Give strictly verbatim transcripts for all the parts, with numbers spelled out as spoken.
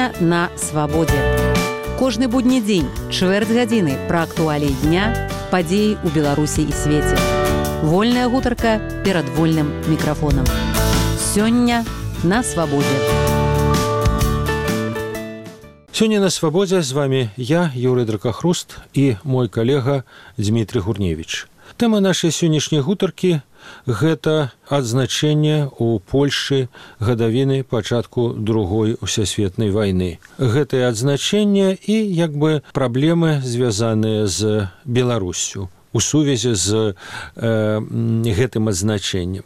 Сёння на свабодзе. Кожны будні дзень, чвэрць гадзіны пра актуаліі дня, падзеі ў Беларусі і свеце. Вольная гутарка перад вольным мікрафонам. Сёння на свабодзе. Сёння на свабодзе з вами я, Юрый Дракахруст, і мой калега Дмітрий Гурневіч. Тэма нашай сённяшняй гутаркі – гэта адзначэнне ў Польшы гадавіны пачатку другой усесветнай вайны. Гэтае адзначэнне і, як бы, праблемы, звязаныя з Беларуссю у сувязі з э, гэтым адзначэннем.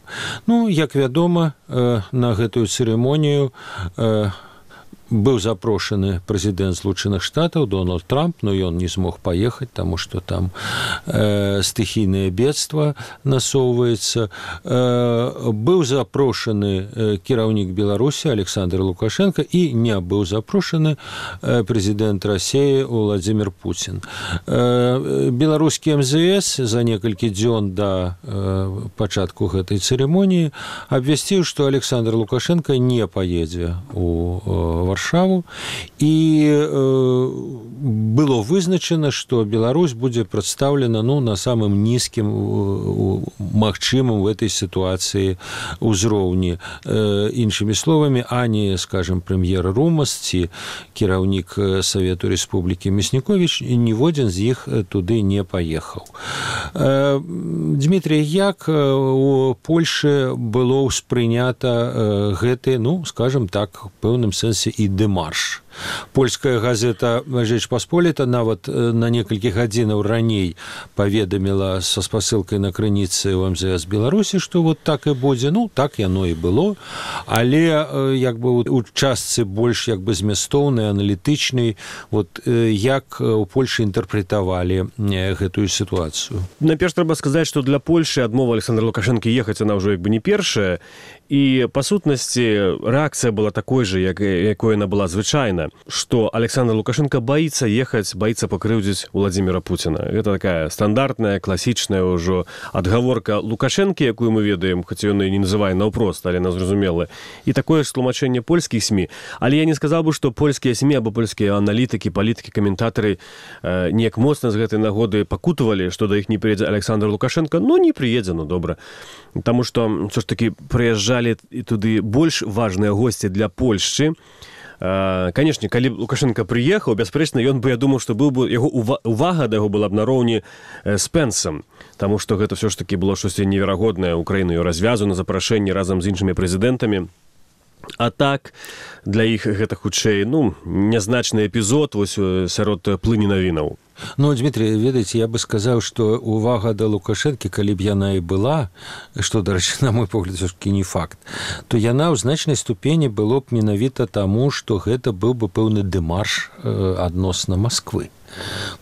Ну, як вядома, э, на гэтую цырымонію э, быў запрошаны прэзідэнт Злучаных Штатаў Дональд Трамп, но ён не змог паехаць, таму што там э, стыхійнае бедства насоўваецца. Э, быў запрошаны э, кіраўнік Беларусі Александр Лукашенко і не быў запрошаны э, прэзідэнт Расіі Владзімір Пуцін. Э, беларускі эм зэ эс за некалькі дзён да э, пачатку гэтай цырымоніі абвясціў, што Александр Лукашенко не паедзе у э, Варшаву, і э, было вызначана, што Беларусь будзе прадстаўлена ну, на самым нізкім э, магчымым в этой сітуацыі ўзроўні. Э, іншымі словамі, ані, скажем, прэм'ер Румас ці кіраўнік Савету Рэспублікі Мясніковіч, ніводзін з іх туды не паехаў. Э, Дмітрий, як у Польшы было ўспрынята э, гэты, ну, скажем так, в пэўным сэнсе і дэмарш. Польская газета «Жэч Пасполіта» нават на некалькі гадзінаў раней паведаміла са спасылкай на крыніцы ў эм зэ эс Беларусі, што вот так і будзе. Ну, так яно і было. Але як бы у частцы больш як бы змястоўнай, аналітычнай, вот як у Польшы інтэрпрэтавалі гэтую сітуацыю. Найперш трэба сказаць, што для Польшы адмова Александра Лукашэнкі ехаць она ўжо як бы не першая. І, па сутнасці, рэакцыя была такой жа, як, якой яна была звычайна, што Александр Лукашенко баіцца ехаць, баіцца пакрыўдзіць Владзіміра Пуціна. Гэта такая стандартная, класічная ўжо адгаворка Лукашэнкі, якую мы ведаем, хоць ён і не называе наўпрост, але нас зразумела. І такое ж тлумачэнне польскіх СМІ. Але я не сказаў бы, што польскія СМІ або польскія аналітыкі, палітыкі, каментатары э, неяк моцна з гэтай нагоды пакутавалі, што да іх не прыедзе Александр Лукашенко. Ну, не прыедзе, ну, добра. Таму што, ўсё ж такі, прыязджалі і туды больш важныя госці для Польшчы. Канешне, калі Лукашенко прыехаў, бясспрэчна, ён бы, я думаў, што быў бы яго увага да яго была б нароўні з Пэнсам, таму што гэта ўсё ж такі было штосьці неверагоднае. Украіну развязу на запрашэнні разам з іншымі прэзідэнтамі. А так, для іх гэта хутчэй, ну, нязначны эпізод вось сярод плыні навінаў. Ну, Дмитрий, ведаеце, я бы сказаў, што увага да Лукашэнкі, калі б яна і была, што, дарэчы, на мой погляд, все-таки не факт, то яна ў значнай ступені было б менавіта таму, што гэта быў бы пэўны дэмарш э, адносна Масквы.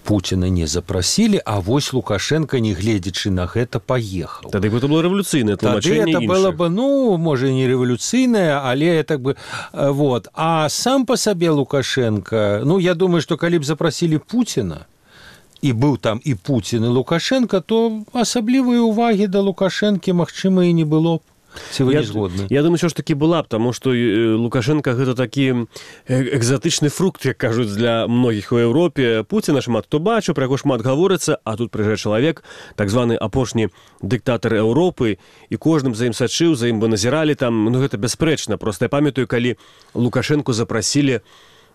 Пуціна не запрасілі, а вось Лукашенко, не гледзячы на гэта, паехаў. Тады гэта было рэвалюцыйнае тлумачэнне іншых. Тады это было бы, ну, можа, не рэвалюцыйнае, але так бы, вот. А сам па сабе Лукашенко, ну, я думаю, што калі б запрасілі Пуціна, і быў там і Пуцін, і Лукашенко, то асаблівай увагі да Лукашэнкі, магчыма, і не было б. Ці вы не згодны? Я думаю, що ж таки була б, тому що Лукашенко гэта такі экзатычны фрукт, як кажуць, для многіх у Еўропе. Пуціна шмат хто бачыў, пра яго шмат гаворыцца, а тут прыязджае чалавек, так званы апошні дыктатар Еўропы, і кожным за ім сачыў, за ім бы назіралі там, ну гэта бясспрэчна. Проста я памятаю, калі Лукашенко запрасілі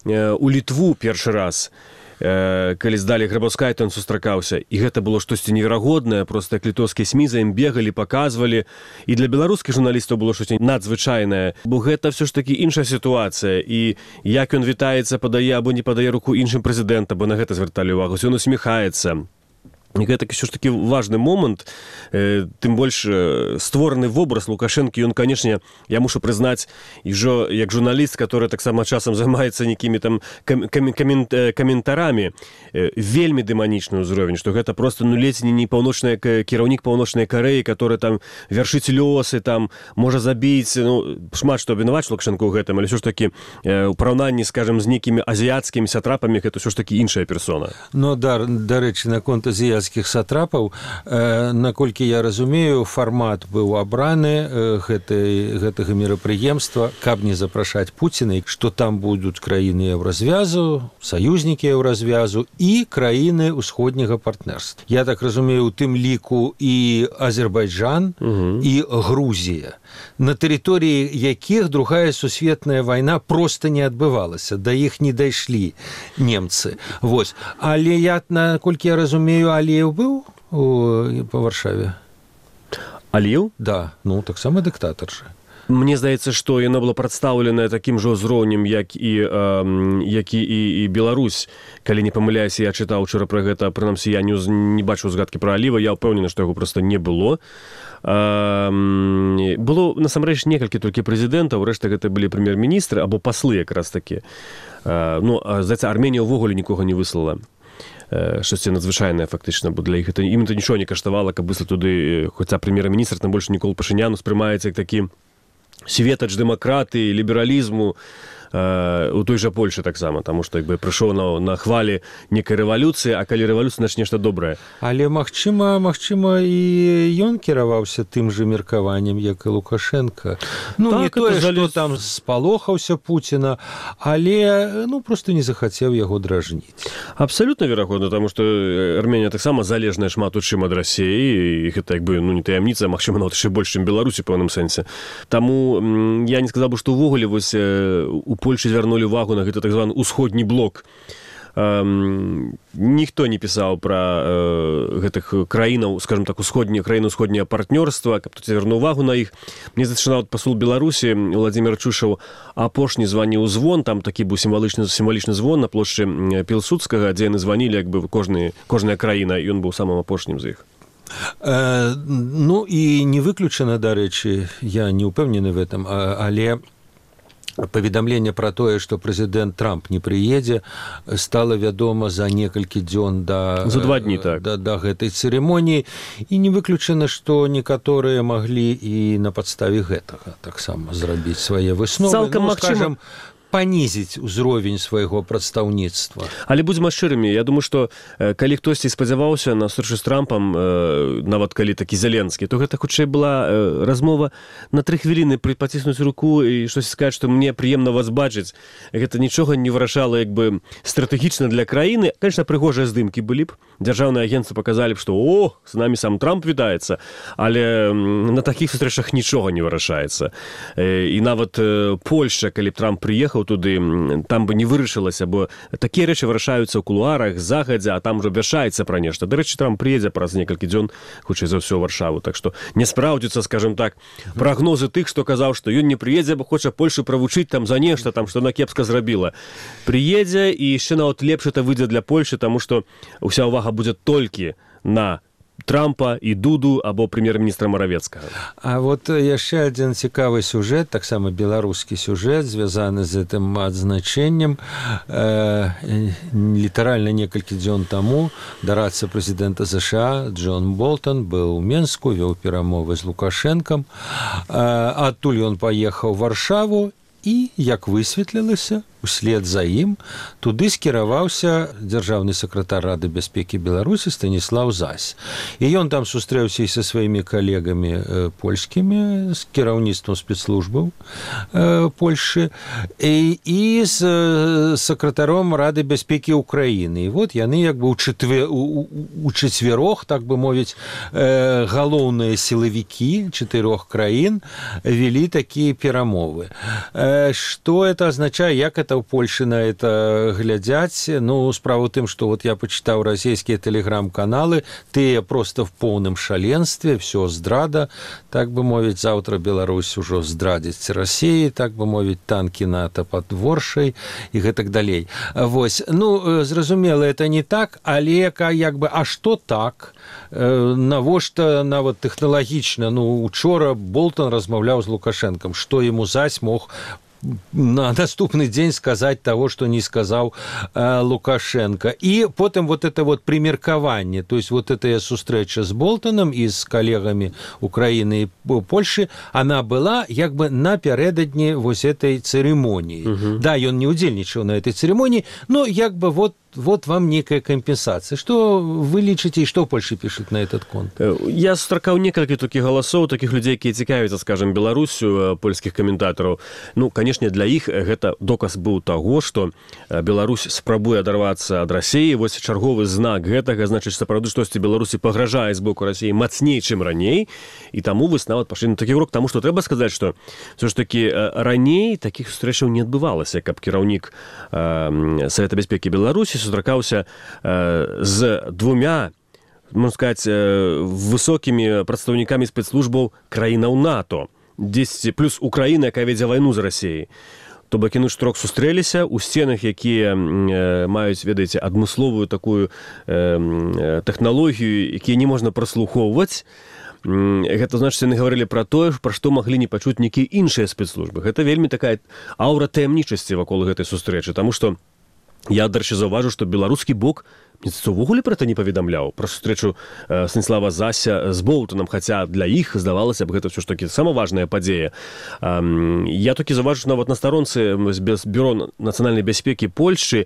у Літву першы раз, калі здалі Грабаўскай, то ён сустракаўся. І гэта было штосьці неверагоднае, проста як літоўскія СМІ за ім бегалі, паказвалі. І для беларускіх журналістаў было штосьці надзвычайнае, бо гэта ўсё ж такі іншая сітуацыя. І як ён вітаецца, падае або не падае руку іншым прэзідэнтам, бо на гэта звярталі ўвагу, ён усміхаецца. І гэта ўсё ж такі важны момант, э, тым больш э, створаны вобраз Лукашэнкі, ён, канешне, я мушу прызнаць, і жо, як журналіст, который таксама часам займаецца нейкімі там кам, кам, камент, э, каментарамі, э, вельмі дэманічны ўзровень, што гэта просто, ну, ледзь не паўночная кіраўнік паўночнай Карэі, который там вяршыць лёсы, там можа забіць, ну, шмат што абвінаваць Лукашэнку ў гэтым, але ўсё ж такі э, у параўнанні, скажем, з нейкімі азіяцкімі сатрапамі, гэта ўсё ж такі іншая персона. Ну, да, дарэчы, наконт азіяцкіх царскіх сатрапаў. Наколькі я разумею, фармат быў абраны гэтай, гэтага мерапрыемства, каб не запрашаць Пуціна, што там будуць краіны еўразвязу, саюзнікі еўразвязу і краіны ўсходняга партнерства. Я так разумею, у тым ліку і Азербайджан, угу. і Грузія, на тэрыторыі якіх другая сусветная вайна проста не адбывалася, да іх не дайшлі немцы. Вось. Але я, наколькі я разумею, Аліеў быў у, па Варшаве? Аліеў? Да, ну, таксама дыктатар жа. Мне здаецца, што яна была прадстаўлена такім жа ўзроўнем, як і, э, як і, і, і Беларусь. Калі не памыляюся, я чытаў учора пра гэта, прынамсі, я не, не бачыў згадкі пра Аліева, я ўпэўнены, што яго проста не было. Э, было, насамрэч, некалькі толькі прэзідэнтаў, рэшта гэта былі прэм'ер-міністры, або паслы якраз такі. Э, ну, здаецца, Арменія ўвогуле нікога не выслала. Штосьці надзвычайнае, фактычна, бо для іх это, ім это нічого не каштавала, каб выслаць туды, хоця прэм'ер-міністр, там больш Нікол Пашынян успрымаецца як такі светач дэмакратыі, лібералізму, у той жа Польшы таксама, таму што як бы прыйшоў на, на хвалі некай рэвалюцыі, а калі рэвалюцыя, значыць нешта добрае. Але магчыма, магчыма і ён кіраваўся тым жа меркаваннем, як і Лукашенко. Ну, так, не тое, што там спалохаўся Пуціна, але ну проста не захацеў яго дражніць. Абсалютна верагодна, таму што Арменія таксама залежная шмат у чым ад Расіі, і гэта як бы ну не таямніца, магчыма, нават яшчэ больш, чым Беларусі ў пэўным сэнсе. Таму я не сказаў бы, што ўвогуле вось у Польшы звярнулі ўвагу на гэта так званы ўсходні блок. Эм, ніхто не пісаў пра э, гэтых краінаў, скажем так, усходні, краіны ўсходняе партнёрства, каб тут звярнуў увагу на іх. Мне зачынаў пасол Беларусі Владзімир Чушаў апошні званіў звон, там такі быў сімвалічны, сімвалічны звон на плошчы Пілсудскага, дзе яны званілі, як бы кожны, кожная краіна, і ён быў самым апошнім з іх. Э, ну і не выключана, дарэчы, я не ўпэўнены в этом, але паведамленне пра тое, што прэзідэнт Трамп не прыедзе, стала вядома за некалькі дзён да, за два дні, так. да, да гэтай цырымоніі, і не выключана, што некаторыя маглі і на падставе гэтага таксама зрабіць свае высновы. Цалкам ну, магчыма... скажем, панізіць узровень свайго прадстаўніцтва. Але будзем шчырымі, я думаю, што э, калі хтосьці спадзяваўся на сустрэчу з Трампам, э, нават калі такі Зеленскі, то гэта хутчэй была э, размова на тры хвіліны паціснуць руку і штось сказаць, што мне прыемна вас бачыць. Гэта нічога не вырашала як бы стратэгічна для краіны. Конечно, прыгожыя здымкі былі б. Дзяржаўныя агенцтвы паказалі б, што о, з намі сам Трамп вітаецца, але на такіх сустрэчах нічога не вырашаецца. Э, і нават э, Польшча, калі б Трамп прыехаў туды, там бы не вырашылася, бо такія рэчы вырашаюцца ў кулуарах загадзя, а там ужо абвяшчаецца пра нешта. Дарэчы, Трамп прыедзе праз некалькі дзён, хутчэй за ўсё, ў Варшаву. Так што не спраўдзіцца, скажем так, прагнозы тых, што казаў, што ён не прыедзе, бо хоча Польшу правучыць там за нешта, там што она кепска зрабіла. Прыедзе, і яшчэ нават лепш это выйдзе для Польшы, таму што ўся ўвага будзе толькі на Трампа і Дуду або прэм'ер-міністра Маравецкага. А вот яшчэ адзін цікавы сюжэт, таксама беларускі сюжэт, звязаны з гэтым адзначэннем. Э, літаральна некалькі дзён таму дарадца прэзідэнта ЗША Джон Болтон быў у Менску, вёў перамовы з Лукашэнкам. Э, адтуль ён паехаў у Варшаву і, як высветлілася, услед за ім туды скіраваўся дзяржаўны сакратар Рады бяспекі Беларусі Станіслаў Зась. І ён там сустрэўся і са сваімі калегамі э, польскімі, з кіраўніцтвам спецслужбаў э, Польшы, і, і з э, сакратаром Рады бяспекі Украіны. І вот яны як бы у, чатве, у, у чацвярох, так бы мовіць, э, галоўныя сілавікі чатырох краін вялі такія перамовы. Э, што это азначае, як это ў Польшы на это глядзяць? Ну, справа ў тым, што вот я пачытаў расійскія тэлеграм-каналы, тыя проста в поўным шаленстве, все здрада, так бы мовіць, заўтра Беларусь ужо здрадзіць Расіі, так бы мовіць, танкі НАТО пад Воршай і гэтак далей. Вось, ну, зразумела, это не так, але як бы, а што так? Навошта нават тэхналагічна? Ну, учора Болтон размаўляў з Лукашэнкам, што яму Зась мог на наступны дзень сказаць того, што не сказаў э, Лукашенко. І потым вот это вот примеркаванне, то есть вот эта сустрэча з Болтоном і з калегамі Украіны і Польшы, она была як бы напярэдадні вось этой цырымоніі. Uh-huh. Да, ён не удзельнічаў на этой цырымоніі, но як бы вот вот вам некая компенсация. Что вы лічыце, и что Польша пишет на этот конт? Я сустракаў некалькі такіх галасоў, такіх людзей, якія цікавяцца, скажем, Беларусю, польскіх каментатараў. Ну, канешне, для іх гэта доказ быў таго, што Беларусь спрабуе адарвацца ад Расіі. Вось чарговы знак гэтага, значыць, сапраўды штосьці Беларусі пагражае з боку Расіі мацней, чым раней. І таму вось нават пашлі на такі крок, таму што трэба сказаць, што ўсё ж такі раней такіх сустрэчаў не адбывалася, каб кіраўнік э, Савета бяспекі Беларусі сустракаўся э, з двумя, можна сказаць, э, высокімі прадстаўнікамі спецслужбаў краінаў НАТО, дзесьці плюс Украіна, якая вядзе вайну з Расіяй. То бок яны штрок сустрэліся ў сценах, якія э, маюць, ведаеце, адмысловую такую э, тэхналогію, якія не можна праслухоўваць. Гэта значыць, яны гаварылі пра тое, пра што маглі не пачуць нейкія іншыя спецслужбы. Гэта вельмі такая аўра таямнічасці вакол гэтай сустрэчы, таму што я, дарэчы, заўважу, што беларускі бок увогуле пра гэта не паведамляў, пра сустрэчу э, Станіслава Зася з Болтонам, хаця для іх здавалася б, гэта ўсё ж такі сама важная падзея. Э, я толькі заўважу, што нават на старонцы Бюро нацыянальнай бяспекі Польшчы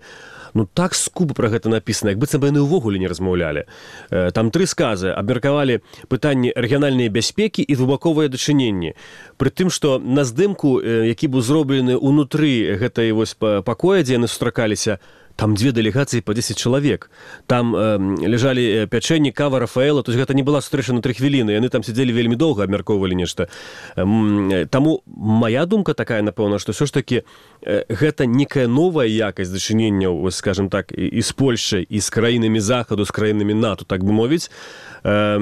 ну так скупа пра гэта напісана, як быццам бы яны ўвогуле не размаўлялі. Э, там тры сказы абмеркавалі пытанні рэгіянальнай бяспекі і двухбаковыя дачыненні. Пры тым, што на здымку, э, які быў зроблены ўнутры гэтай вось пакоя, дзе яны сустракаліся, там две делегации по десять человек. Там э, лежали пячэнні, кава, Рафаэла. То есть гэта не была сустрэча на тры хвіліны. Яны там сидзелі вельмі доўга, абмяркоўвалі нешта. Э, таму моя думка такая, напэўна, што ўсё ж такі э, гэта некая новая якасць дачыненняў, скажем так, і, і з Польшай, і з краінамі Захаду, з краінамі НАТО, так бы мовіць. Э,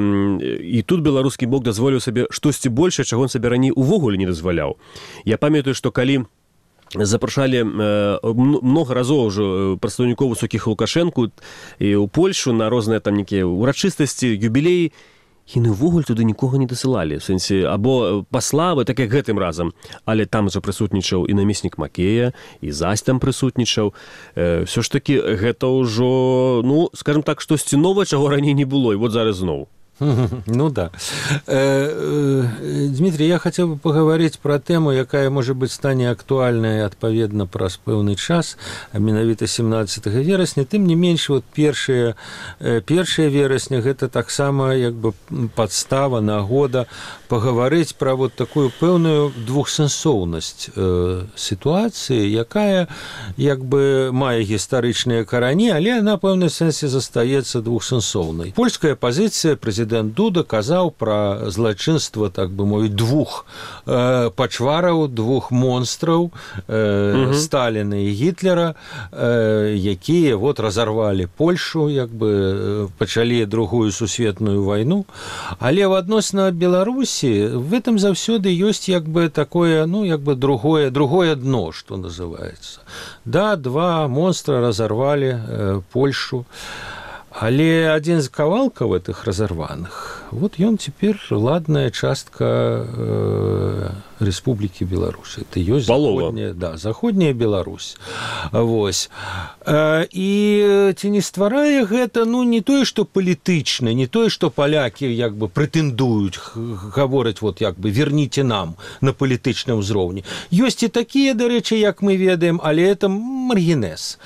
і тут беларускі бок дазволіў сабе штосьці большае, чаго он сабе раней увогуле не дазваляў. Я памятаю, што калі запрашалі э, много разоў ўжо прадстаўнікоў высокіх Лукашэнку і ў Польшу на розныя там нейкія урачыстасці, юбілеі, яны ўвогуле туды нікога не дасылалі, в сэнсе або паславы, так як гэтым разам, але там жа прысутнічаў і намеснік Макея, і Зась там прысутнічаў. Э, ўсё ж такі гэта ўжо, ну, скажем так, штосьці новае, чаго раней не было, і вот зараз зноў. Ну да. Дмитрий, я хотел бы поговорить про тему, якая, может быть, стане актуальнай адпаведна праз пэўны час, а менавіта семнадцатага верасня. Тым не менш, вот першае першае верасня гэта таксама як бы падстава, нагода паговорыць пра вот такую пэўную двухсэнсоўнасць э, сітуацыі, якая як бы мае гістарычныя карані, але на пэўным сэнсе застаецца двухсэнсоўнай. Польская пазіцыя прэзідэнта Дуда казаў пра злачынства, так бы мовіць, двух э, пачвараў, двух монстраў, э, Сталіна і Гітлера, э, якія вот разарвалі Польшу, як бы пачалі другую сусветную вайну. Але в адносна Беларусі в этом заўсёды ёсць як бы такое, ну, як бы другое, другое дно, што называецца. Да, два монстра разарвалі э, Польшу. Але адзін з кавалкаў гэтых разарваных, вот ён цяпер ладная частка э, Рэспублікі Беларусь. Это ёсць заходняя, да, заходняя Беларусь. Вось. Э, і ці не стварае гэта, ну, не тое, што палітычна, не тое, што палякі як бы прэтэндуюць, гавораць, вот як бы верніце нам на палітычным узроўні. Ёсць і такія, дарэчы, як мы ведаем, але это маргінез.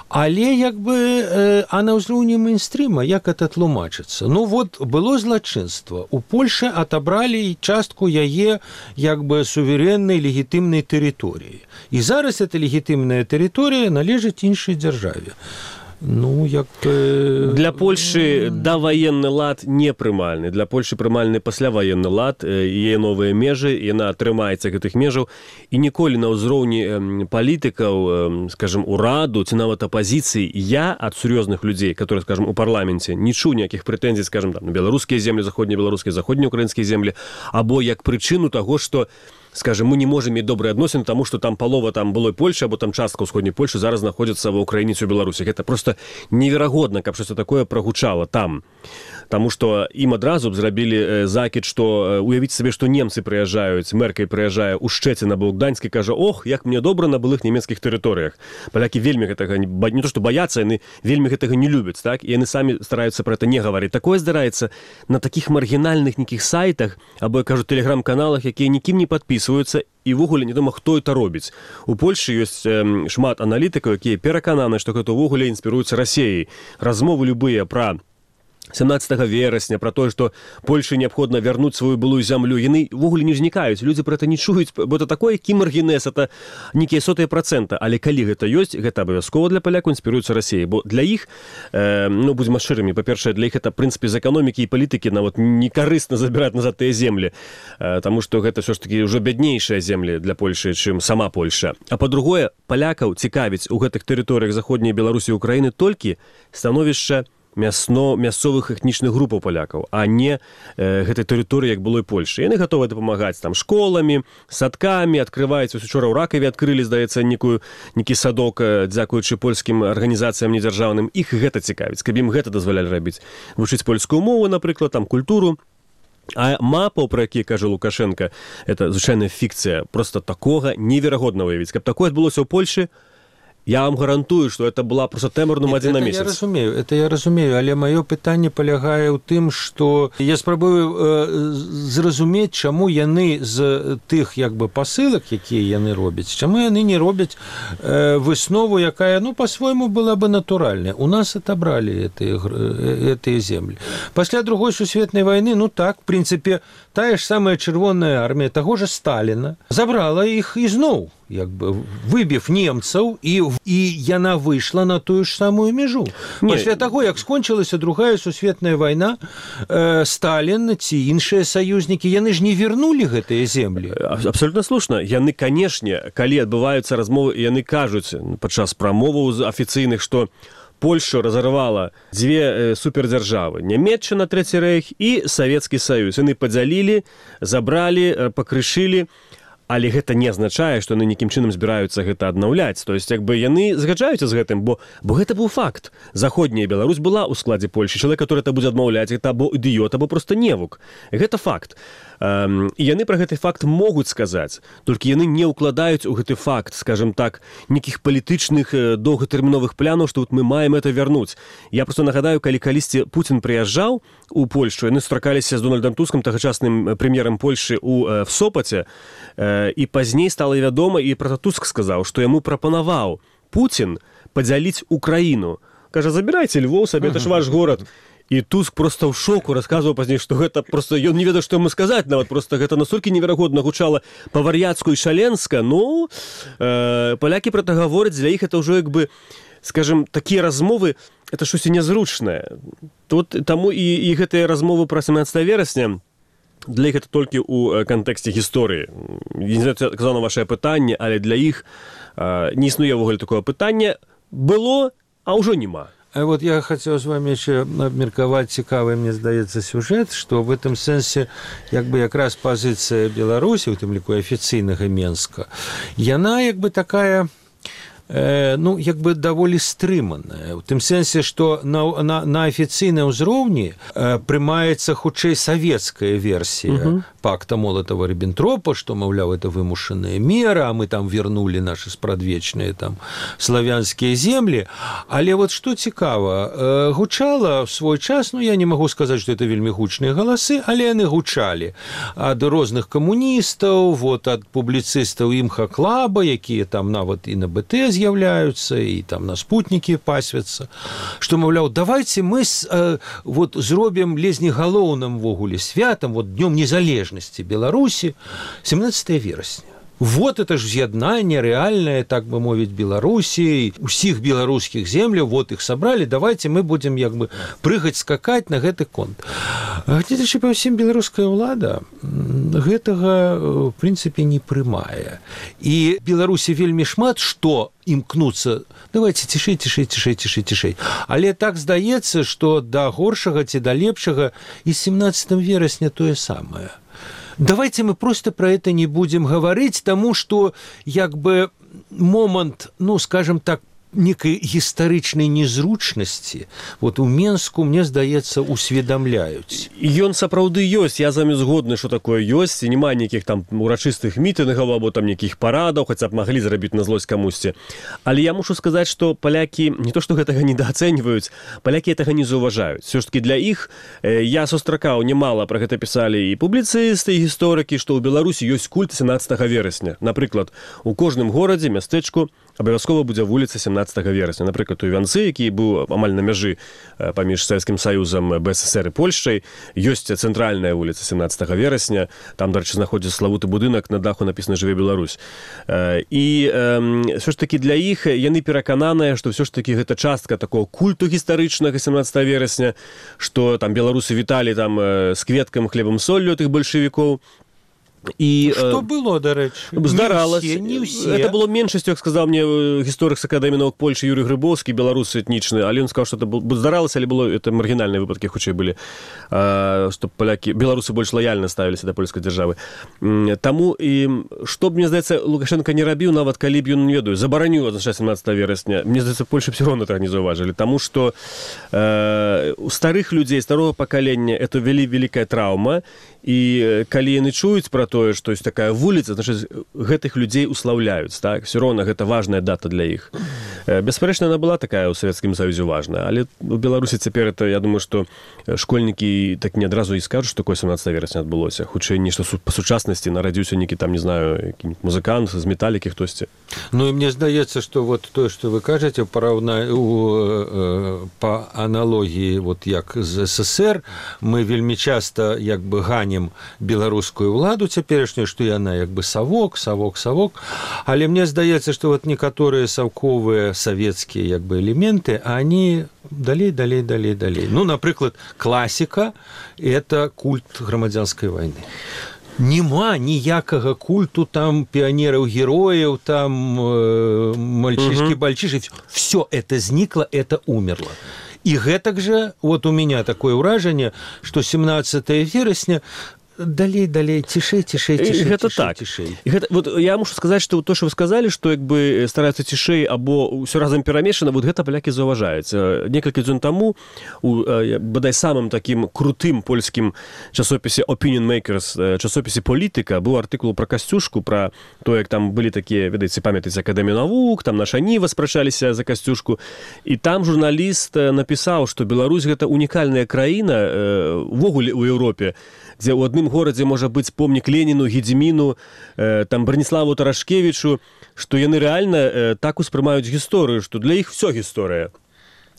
Але як бы, э, а на ўзроўні мейнстрыма, як это тлумачыцца? Ну вот, было злачынства. У Польшы атабралі частку яе як бы суверэннай легітымнай тэрыторыі. І зараз эта легітымная тэрыторыя належыць іншай дзяржаве. Ну, як... Для Польшы даваенны лад не прымальны. Для Польшы прымальны пасляваенны лад, яе новыя межы, яна трымаецца гэтых межаў. І ніколі на ўзроўні палітыкаў, скажем, ураду, ці нават апазіцыі, я ад сур'ёзных людзей, которые, скажем, у парламенце, не чуў ніякіх прэтэнзій, скажем, там, на беларускія землі, заходнебеларускія, заходнеукраінскія землі, або як прычыну таго, што скажем, мы не можем мець добрыя адносіны, таму што там палова там былой Польшы, або там частка ўсходняй Польшы зараз знаходзіцца ва Ўкраіне ці ў Беларусі. Гэта просто неверагодна, каб штосьці такое прагучала там. Таму што ім адразу б зрабілі закід, што уявіць сабе, што немцы прыязджаюць, мэркай прыязджае ў Шчэцін або ў Гданьск і кажа: ох, як мне добра на былых нямецкіх тэрыторыях. Палякі вельмі гэтага не то што баяцца, яны вельмі гэтага не любяць, так? І яны самі стараюцца пра гэта не гаварыць. Такое здараецца на такіх маргінальных нейкіх сайтах або, я кажу, тэлеграм-каналах, якія нікім не падпісваюцца, і ўвогуле невядома, хто это робіць. У Польшы ёсць э, шмат аналітыкаў, якія перакананы, што гэта ўвогуле інспіруецца Расіяй. Размовы любыя пра семнаццатага верасня, пра тое, што Польшы неабходна вярнуць сваю былую зямлю, яны ўвогуле не ўзнікаюць, людзі пра гэта не чуюць, бо это такое кімаргінез, это нейкія сотыя працэнта, але калі гэта ёсць, гэта абавязкова для палякаў інспіруецца Расіяй, бо для іх, э, ну, будзем шчырымі, па-першае, для іх это, в прынцыпе, з эканомікі і палітыкі нават некарысна забіраць назад тыя землі, э, таму што гэта ўсё ж такі ўжо бяднейшыя землі для Польшы, чым сама Польша. А па-другое, палякаў цікавіць у гэтых тэрыторыях заходняй Беларусі і Украіны толькі становішча мясно мясцовых этнічных групаў палякаў, а не э, гэтай тэрыторыі, як было і Польшы. Яны гатовы дапамагаць там школамі, садкамі, адкрываюць, учора ў Ракаве адкрылі, здаецца, некую нейкі садок, дзякуючы польскім арганізацыям недзяржаўным. Іх гэта цікавіць, каб ім гэта дазвалялі рабіць. Вучыць польскую мову, напрыклад, там культуру. А мапаў, пра які кажа Лукашенко, это звычайная фікцыя, просто такога неверагодна выявіць. Каб такое адбылося ў Польшы, я вам гарантую, што это была просто тэмарным адзін на месяц. Я разумею, это я разумею, але маё пытанне палягае ў тым, што я спрабую э, зразумець, чаму яны з тых як бы пасылак, якія яны робяць, чаму яны не робяць э, выснову, якая, ну, па-свойму была бы натуральная. У нас отобрали гэтыя гэтыя землі. Пасля другой сусветнай вайны, ну так, в прынцыпе, тая ж самая чырвоная армія таго ж Сталіна забрала іх ізноў, як бы выбіў немцаў, і, і яна выйшла на тую ж самую межу. Не. Пасля таго, як скончылася другая сусветная вайна, э, Сталін ці іншыя саюзнікі, яны ж не вернулі гэтыя землі. Абсолютно слушна. Яны, канешне, калі адбываюцца размовы, яны кажуць падчас прамоваў афіцыйных, што Польшу разорвала дзве супердзяржавы: Нямецчына, Трэці рэйх і Савецкі Саюз. Яны падзялілі, забралі, пакрышылі. Але гэта не азначае, што яны нейкім чынам збіраюцца гэта аднаўляць. То есть, як бы яны згаджаюцца з гэтым, бо, бо гэта быў факт. Заходняя Беларусь была ў складзе Польшы. Чалавек, который это будзе адмаўляць, гэта або ідыёт, або проста невук. Гэта факт. Эм, і яны пра гэты факт могуць сказаць, толькі яны не ўкладаюць у гэты факт, скажем так, нейкіх палітычных доўгатэрміновых планаў, што вот мы маем это вярнуць. Я просто нагадаю, калі калісьці Пуцін прыязджаў у Польшу, яны сустракаліся з Дональдам Тускам, тагачасным прэм'ерам Польшы ў, в Сопаце, э, і пазней стала вядома, і пра Туск сказаў, што яму прапанаваў Пуцін падзяліць Украіну. Кажа: забірайце Львоў сабе, это ж ваш горад. І Туск просто ў шоку расказваў пазней, што гэта просто ён не ведаў, што яму сказаць, нават просто гэта настолькі неверагодна гучала па-вар'яцку і шаленска. Ну, э, палякі пра гэта гавораць, для іх это ўжо як бы, скажем, такія размовы, это штосьці нязручнае. Тут таму і, і гэтыя размовы пра семнаццатага верасня для іх это толькі ў кантэксце гісторыі. Не знаю, казаў на вашае пытанне, але для іх э, не існуе ўвогуле такое пытанне. Было, а ўжо няма. А вот я хотел с вами еще обмерковать цікавый, мне здаецца, сюжет, что в этом сенсе, як бы, якраз позиция Беларуси, у тым ліку афіцыйнага Менска, яна, як бы, такая, э, ну, як бы, даволі стрыманая. У тым сенсе, что на, на, на афіцыйным ўзроўні э, прымаецца хутчэй савецкая версия угу. пакта Молотова-Риббентропа, что, маўляў, это вымушанная мера, а мы там вернули наши спрадвечныя там славянскія землі. Але вот что цікава, э, гучала в свой час, ну, я не могу сказать, что это вельмі гучныя галасы, але яны гучалі ад розных камуністаў, вот, ад публіцыстаў імха-клаба, якія там нават і на БТ з'яўляюцца, і там на спутнікі пасвяцца, што, маўляў, давайте мы э, вот зробім лезні галоўным ввогуле святам, вот днём незалежнасці Беларусі семнаццатага верасня. Вот это ж з'яднанне рэальнае, так бы мовіць, Беларусі, усіх беларускіх земляў, вот их собрали, давайте мы будем як бы прыгаць, скакаць на гэты конт. Гледзячы па ўсім, беларуская ўлада гэтага, в прынцыпе, не прымае. І Беларусі вельмі шмат што імкнуцца, давайте цішэй, цішэй, цішэй, цішэй, цішэй. Але так здаецца, што да горшага ці да лепшага і семнаццатага верасня тое самае. Давайте мы просто про это не будем говорить, тому что, як бы, момент, ну, скажем так, некай гістарычнай незручнасці вот у Менску, мне здаецца, усведамляюць. Ён сапраўды ёсць, я з вами згодны, што такое ёсць, і няма нейкіх там урачыстых мітынгаў або там нейкіх парадаў, хаця б маглі зрабіць на злосць камусьці. Але я мушу сказаць, што палякі не то што гэтага недаацэньваюць, палякі гэтага не заўважаюць. Все ж таки для іх я сустракаў немала, пра гэта пісалі і публіцысты, і гісторыкі, што ў Беларусі ёсць культ сямнаццатага верасня. Напрыклад, у кожным горадзе, мястэчку абавязкова будзе вуліца сямнаццатага верасня. Напрыклад, у Іванцы, які быў амаль на мяжы паміж Савецкім Саюзам, БССР і Польшчай, ёсць цэнтральная вуліца сямнаццатага верасня. Там, дарэчы, знаходзіцца славуты будынак, на даху напісана «Жыве Беларусь». І ўсё ж такі для іх яны перакананыя, што ўсё ж такі гэта частка такого культу гістарычнага сямнаццатага верасня, што там беларусы віталі там з кветкам, хлебам, соллю тых бальшавікоў. І, што было, дарэчы? Здаралася. Не ўсе, не ўсе. Это было меншасцю, як сказаў мне гісторык з Акадэміі навук Польшчы Юрый Грыбоўскі, беларусы этнічны, але ён сказаў, што это здаралася, але было это маргінальныя выпадкі хутчэй былі, што палякі, беларусы больш лаяльна ставіліся да польскай дзяржавы. Таму і што б, мне здаецца, Лукашенко не рабіў, нават калі б ён, не ведаю, забараніў адзначаць сямнаццатага верасня, мне здаецца, Польша б все роўна так не заўважылі, таму што э, у старых людзей, старого пакалення это вельмі вялікая траўма, і калі яны чуюць пра тое, што ёсць такая вуліца, значыць, гэтых людзей услаўляюць, так? Все роўна гэта важная дата для іх. Беспарэчна, яна была такая ў Савецкім Саюзе важная, але у Беларусі цяпер это, я думаю, што школьнікі так не адразу і скажуць, што такое сямнаццатага верасня адбылося. Хутчэй нешта па сучаснасці нарадзіўся нейкі там, не знаю, які-нибудь музыкант з металікі хтосьці. Ну і мне здаецца, што вот тое, што вы кажаце, параўна... у... па аналогіі, вот як з СССР, мы вельмі часта як бы ганім беларускую ўладу цяперашнюю, што яна як бы савок, савок, савок, але мне здаецца, што вот некаторыя саўковыя савецкія як бы элементы, они далей, далей, далей, далей. Ну, напрыклад, класіка – это культ грамадзянскай вайны. Нема ніякага культу там піянераў-герояў, там э, мальчишки-бальчиши. Все это зникло, это умерло. И гэтак же, вот у меня такое ўражанне, што семнаццатага верасня далей, далей, цішэй, цішэй, цішэй, гэта цішэй, так. цішэй. Гэта, вот я мушу сказаць, што то, што вы сказалі, што як бы стараюцца цішэй або ўсё разам перамешана, вот гэта палякі заўважаюць. Некалькі дзён таму у бадай самым такім крутым польскім часопісе Opinion Makers, часопісе «Політыка», быў артыкул пра Касцюшку, пра то, як там былі такія, ведаеце, памятаеце, Акадэмію навук, там наша Ніва спрачаліся за Касцюшку, і там журналіст напісаў, што Беларусь гэта унікальная краіна увогуле ў Еўропе, дзе ў адным горадзе можа быць помнік Леніну, Гедзіміну, э, там Браніславу Тарашкевічу, што яны рэальна э, так успрымаюць гісторыю, што для іх всё гісторыя.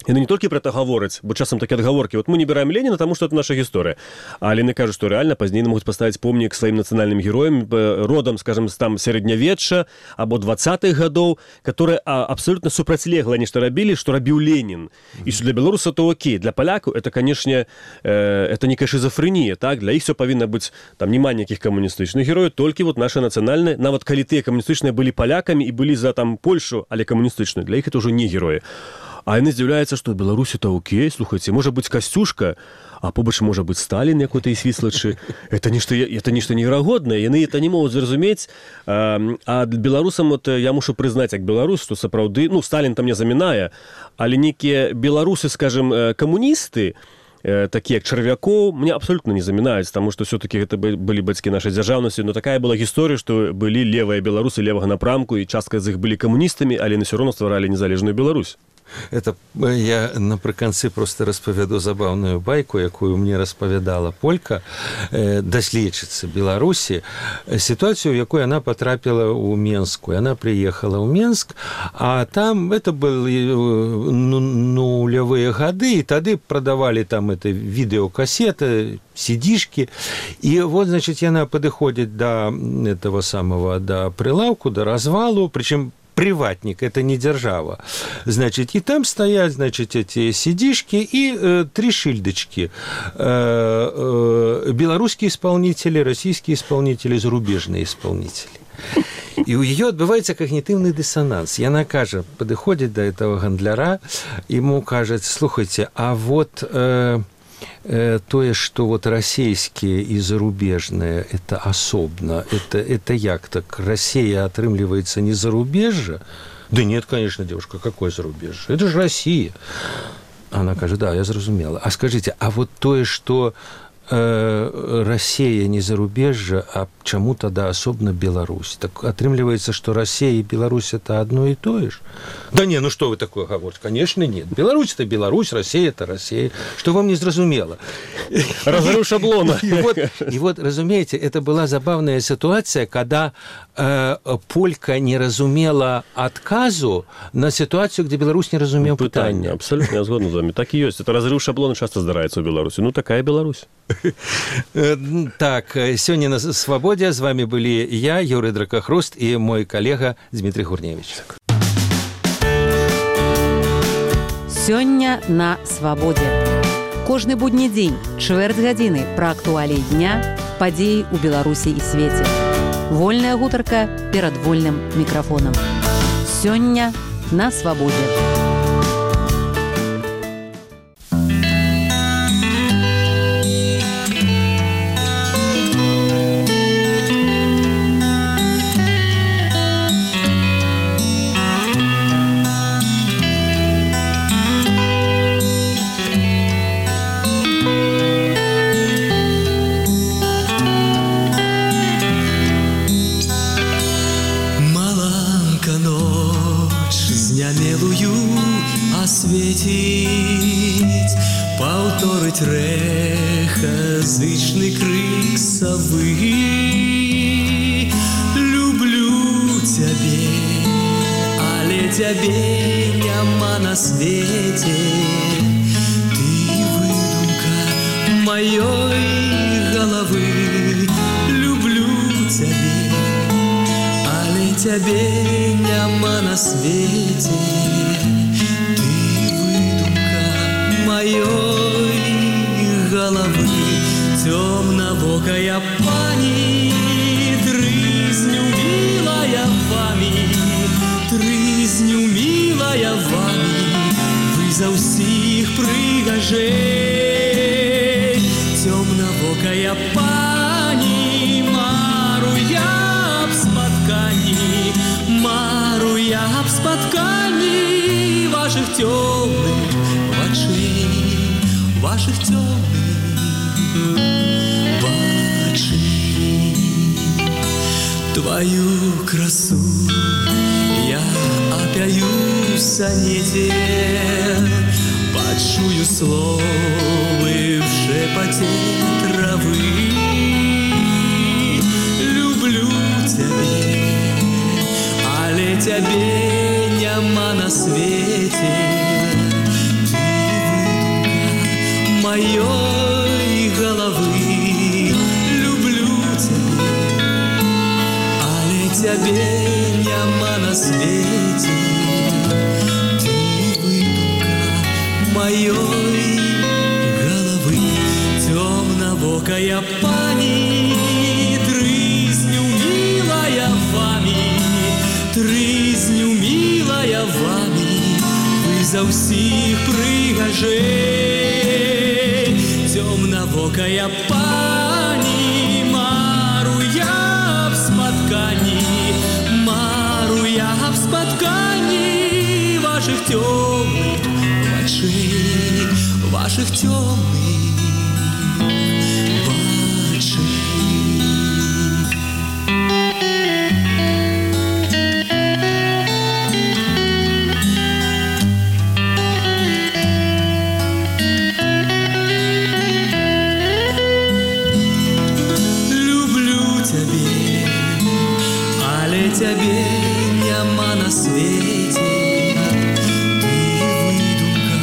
Яны не толькі пра это гавораць, бо часам такія адгаворкі, вот мы не бираем Леніна, таму што это наша гісторыя. Але яны кажуць, што рэальна пазней могуць паставіць помнік сваім нацыянальным героям, родам, скажем, там сярэднявечча або двадцатых гадоў, которые абсолютно супрацьлегла нешта рабілі, што рабіў Ленін. І што для беларуса то окей, для палякаў это, канешне, э, это некая шизофрэнія, так? Для іх всё павінна быць, там няма ніякіх камуністычных герояў, толькі вот наша нацыянальная, нават калі тыя камуністычныя былі палякамі і былі за там Польшу, але камуністычныя, для іх это ўжо не героі. А яны здзіўляюцца, што ў Беларусі-то окей, слухайце, можа быць Касцюшка, а побач можа быць Сталін якой-то і свіслачы. Это нешта, это нешта неверагоднае, яны это не могуць зразумець. А, а беларусам, вот, я мушу прызнаць, як беларус, што сапраўды, ну, Сталін там не замінае, але нейкія беларусы, скажем, камуністы, такія як Чарвякоў, мне абсолютно не замінаюць, таму што все-таки гэта былі бацькі нашай дзяржаўнасці, но такая была гісторыя, што былі левыя беларусы левага напрамку, і частка з іх былі камуністамі, але на ўсё роўна стваралі незалежную Беларусь. Это я напрыканцы просто распавяду забаўную байку, якую мне распавядала полька, э, даследчыца Беларусі, сітуацыю, у якой она потрапіла ў Менску. Яна приехала ў Менск, а там это былі ну, нулявыя гады, і тады прадавалі там это відэокасеты, сидишки, и вот, значит, яна падыходзіць до этого самого, до прилавку, до развалу, причем приватник, это не держава. Значит, и там стоят, значит, эти сидишки и э, три шильдочки. Э, э, белорусские исполнители, российские исполнители, зарубежные исполнители. И у ее отбывается когнитивный диссонанс. Яна кажа, подыходит до этого гандляра, ему кажется, слушайте, а вот... Э, тое, што вот расійскія і зарубежныя это асобна, это, это як так? Расія атрымліваецца не зарубежжа, Да нет, конечно, девушка, какое зарубежье? Это же Россия. Она кажет, да, я зразумела. А скажите, а вот тое, что э, Россия не зарубежье, а чему тогда особенно Беларусь? Так отрымливается, что Россия и Беларусь это одно и то же? Да не, ну что вы такое говорите? Конечно, нет. Беларусь это Беларусь, Россия это Россия. Что вам не зразумела? Разрыв шаблона. И вот, и вот, разумеете, это была забавная ситуация, когда э, Полька не разумела отказу на ситуацию, где Беларусь не разумела пытания. Абсолютно, я згоден з вами. Так и есть. Это разрыв шаблона часто здараецца ў Беларусі. Ну, такая Беларусь. Так, сегодня на «Свободе» с вами были я, Юрий Дракохруст, и мой коллега Дмитрий Гурневич. Сёння на «Свободе». Кожны будні дзень, чвэрць гадзіны пра актуаліі дня, падзеі ў Беларусі і свеце. Вольная гутарка перад вольным мікрафонам. Сёння на «Свободе». Осветить, повторить рэха, зычный крик совы. Люблю тебе, але тебе няма на свете. Ты выдумка моей головы. Люблю тебе, але тебе няма на свете. Моей головы темновокая пани, трызню милая вами, трызню милая вами, вы за усих прыгажей. Темновокая пани, мару я б споткані, мару я б споткані ваших темных очей, ваших темных очей. Твою красу я опяю в сонете, почую словы в шепоте травы. Люблю тебя, але тебе няма на свете. Моей головы. Люблю тебя, але тебе няма на свете. Ты выдумка моей головы. Темновокая пани, трызню милая вами, трызню милая вами, вы за усих прыгажей. Темновокая пани, мару я б споткані, мару я б споткані ваших темных очей, ваших темных очей. Тебе няма на свете. Ты выдумка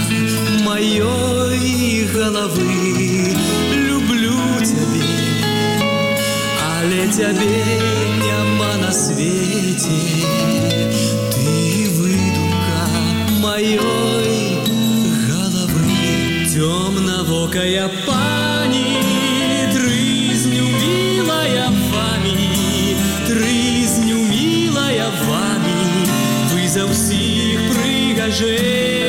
моей головы. Люблю тебя, але тебе няма на свете. Ты выдумка моей головы. Темновокая пани, трызню милая вами, трызню милая вами, вы за усих прыгажей.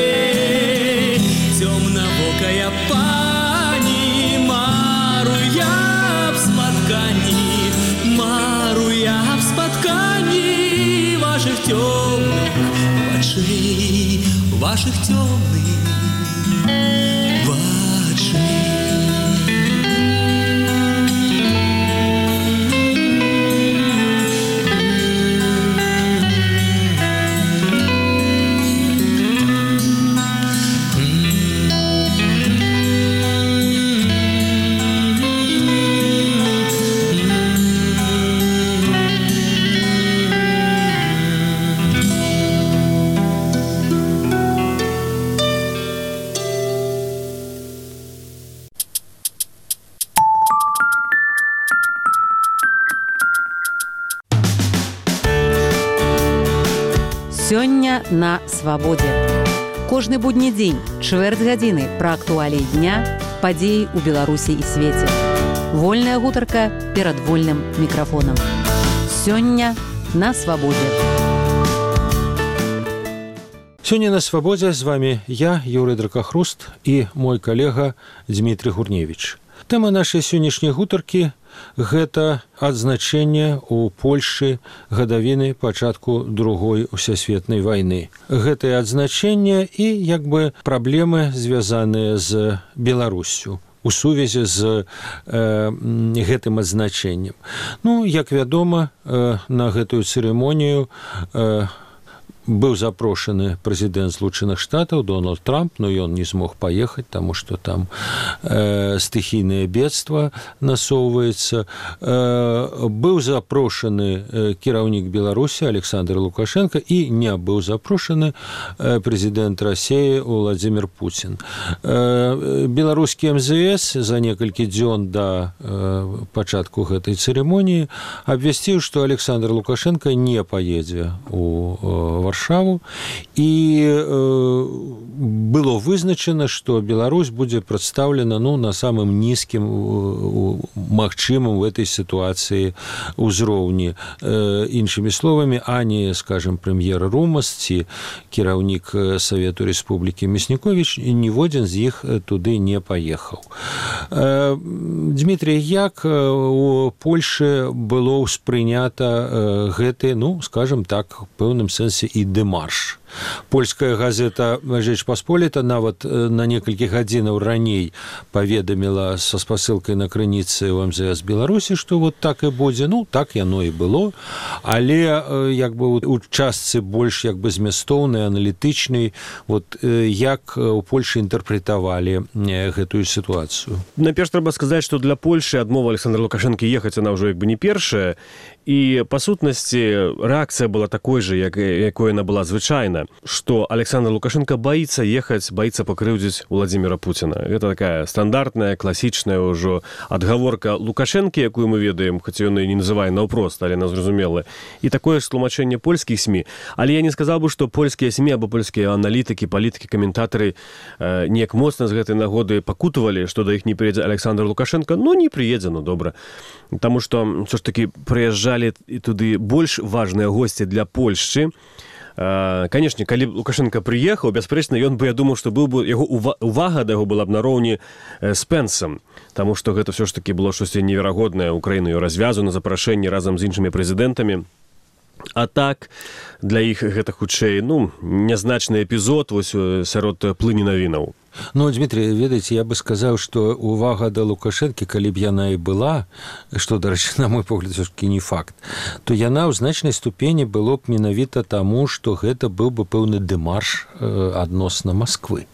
Темновокая пани, мару я б споткані, мару я б споткані ваших темных Сёння на свабодзе. Кожны будні дзень, чвэрць гадзіны пра актуаліі дня, падзеі ў Беларусі і свеце. Вольная гутарка перад вольным мікрафонам. Сёння на свабодзе. Сёння на свабодзе з вами я, Юрый Дракахруст, і мой калега Дмітрий Гурневич. Тэма нашай сённяшняй гутаркі – гэта адзначэнне ў Польшы гадавіны пачатку другой усесветнай вайны. Гэтае адзначэнне і як бы праблемы, звязаныя з Беларуссю у сувязі з э, гэтым адзначэннем. Ну, як вядома, э, на гэтую цырымонію э, быў запрошаны прэзідэнт Злучаных Штатаў Дональд Трамп, но ён не змог паехаць, таму што там э, стыхійнае бедства насоўваецца. Э, быў запрошаны э, кіраўнік Беларусі Александр Лукашенко і не быў запрошаны э, прэзідэнт Расіі Владзімир Путін. Э, беларускі эм зэ эс за некалькі дзён да э, пачатку гэтай цырымоніі абвясціў, што Александр Лукашенко не паедзе у э, Варшаву, і э, было вызначана, што Беларусь будзе прадстаўлена ну, на самым нізкім магчымым в этой сітуацыі ўзроўні. Э, іншымі словамі, ані, скажем, прэм'ер Румас ці кіраўнік Савету Рэспублікі Мясніковіч, ніводзін з іх туды не паехаў. Э, Дмітрий, як у Польшы было ўспрынята э, гэты, ну, скажем так, в пэўным сэнсе і дэмарш. Польская газета «Жэч Пасполіта» нават на некалькі гадзінаў раней паведаміла са спасылкай на крыніцы ў эм зэ эс Беларусі, што вот так і будзе. Ну, так яно і было. Але як бы у частцы больш як бы змястоўнай, аналітычнай, вот як у Польшы інтэрпрэтавалі гэтую сітуацыю. Найперш трэба сказаць, што для Польшы адмова Александра Лукашэнкі ехаць она ўжо як бы не першая. І, па сутнасці, рэакцыя была такой жа, як, якой яна была звычайна, што Александр Лукашенко баіцца ехаць, баіцца пакрыўдзіць Владзіміра Пуціна. Гэта такая стандартная, класічная ўжо адгаворка Лукашэнкі, якую мы ведаем, хоць ён і не называе наўпрост, але она зразумела. І такое ж тлумачэнне польскіх СМІ. Але я не сказаў бы, што польскія СМІ або польскія аналітыкі, палітыкі, каментатары э, неяк моцна з гэтай нагоды пакутавалі, што да іх не прыедзе Александр Лукашенко. Ну, не прыедзе, ну, добра. Таму што, ўсё ж такі, прыязджалі і туды больш важныя госці для Польшчы. Канешне, калі Лукашенко прыехаў, бясспрэчна, ён бы, я думаў, што быў бы яго увага да яго была б нароўні з Пэнсам, таму што гэта ўсё ж такі было штосьці неверагоднае. Украіну развязу на запрашэнні разам з іншымі прэзідэнтамі. А так, для іх гэта хутчэй, ну, нязначны эпізод вось сярод плыні навінаў. Ну, Дмитрий, ведаеце, я бы сказаў, што увага да Лукашэнкі, калі б яна і была, што, дарэчы, на мой погляд, все-таки не факт, то яна ў значнай ступені было б менавіта таму, што гэта быў бы пэўны дэмарш э, адносна Масквы.